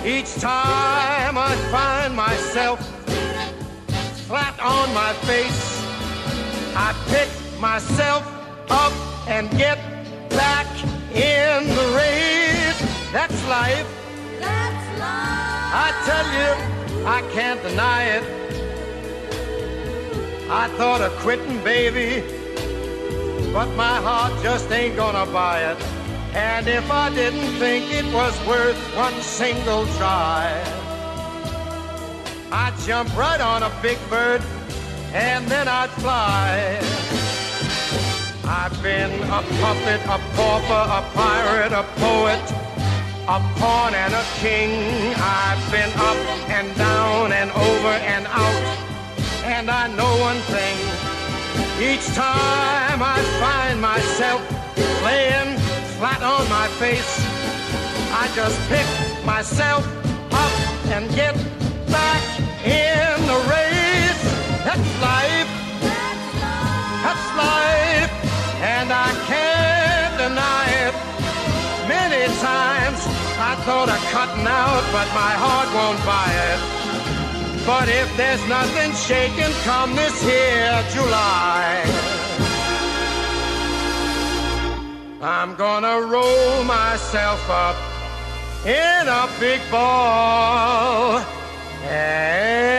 each time I find myself flat on my face, I pick myself up and get back in the race. That's life. That's life. I tell you, I can't deny it. I thought of quitting, baby, but my heart just ain't gonna buy it. And if I didn't think it was worth one single try, I'd jump right on a big bird and then I'd fly. I've been a puppet, a pauper, a pirate, a poet, a pawn and a king. I've been up and down and over and out, and I know one thing. Each time I find myself laying flat on my face, I just pick myself up and get back in the race. That's life. That's life. And I can't deny it. Many times I thought of cutting out, but my heart won't buy it. But if there's nothing shaking come this here July, I'm gonna roll myself up in a big ball and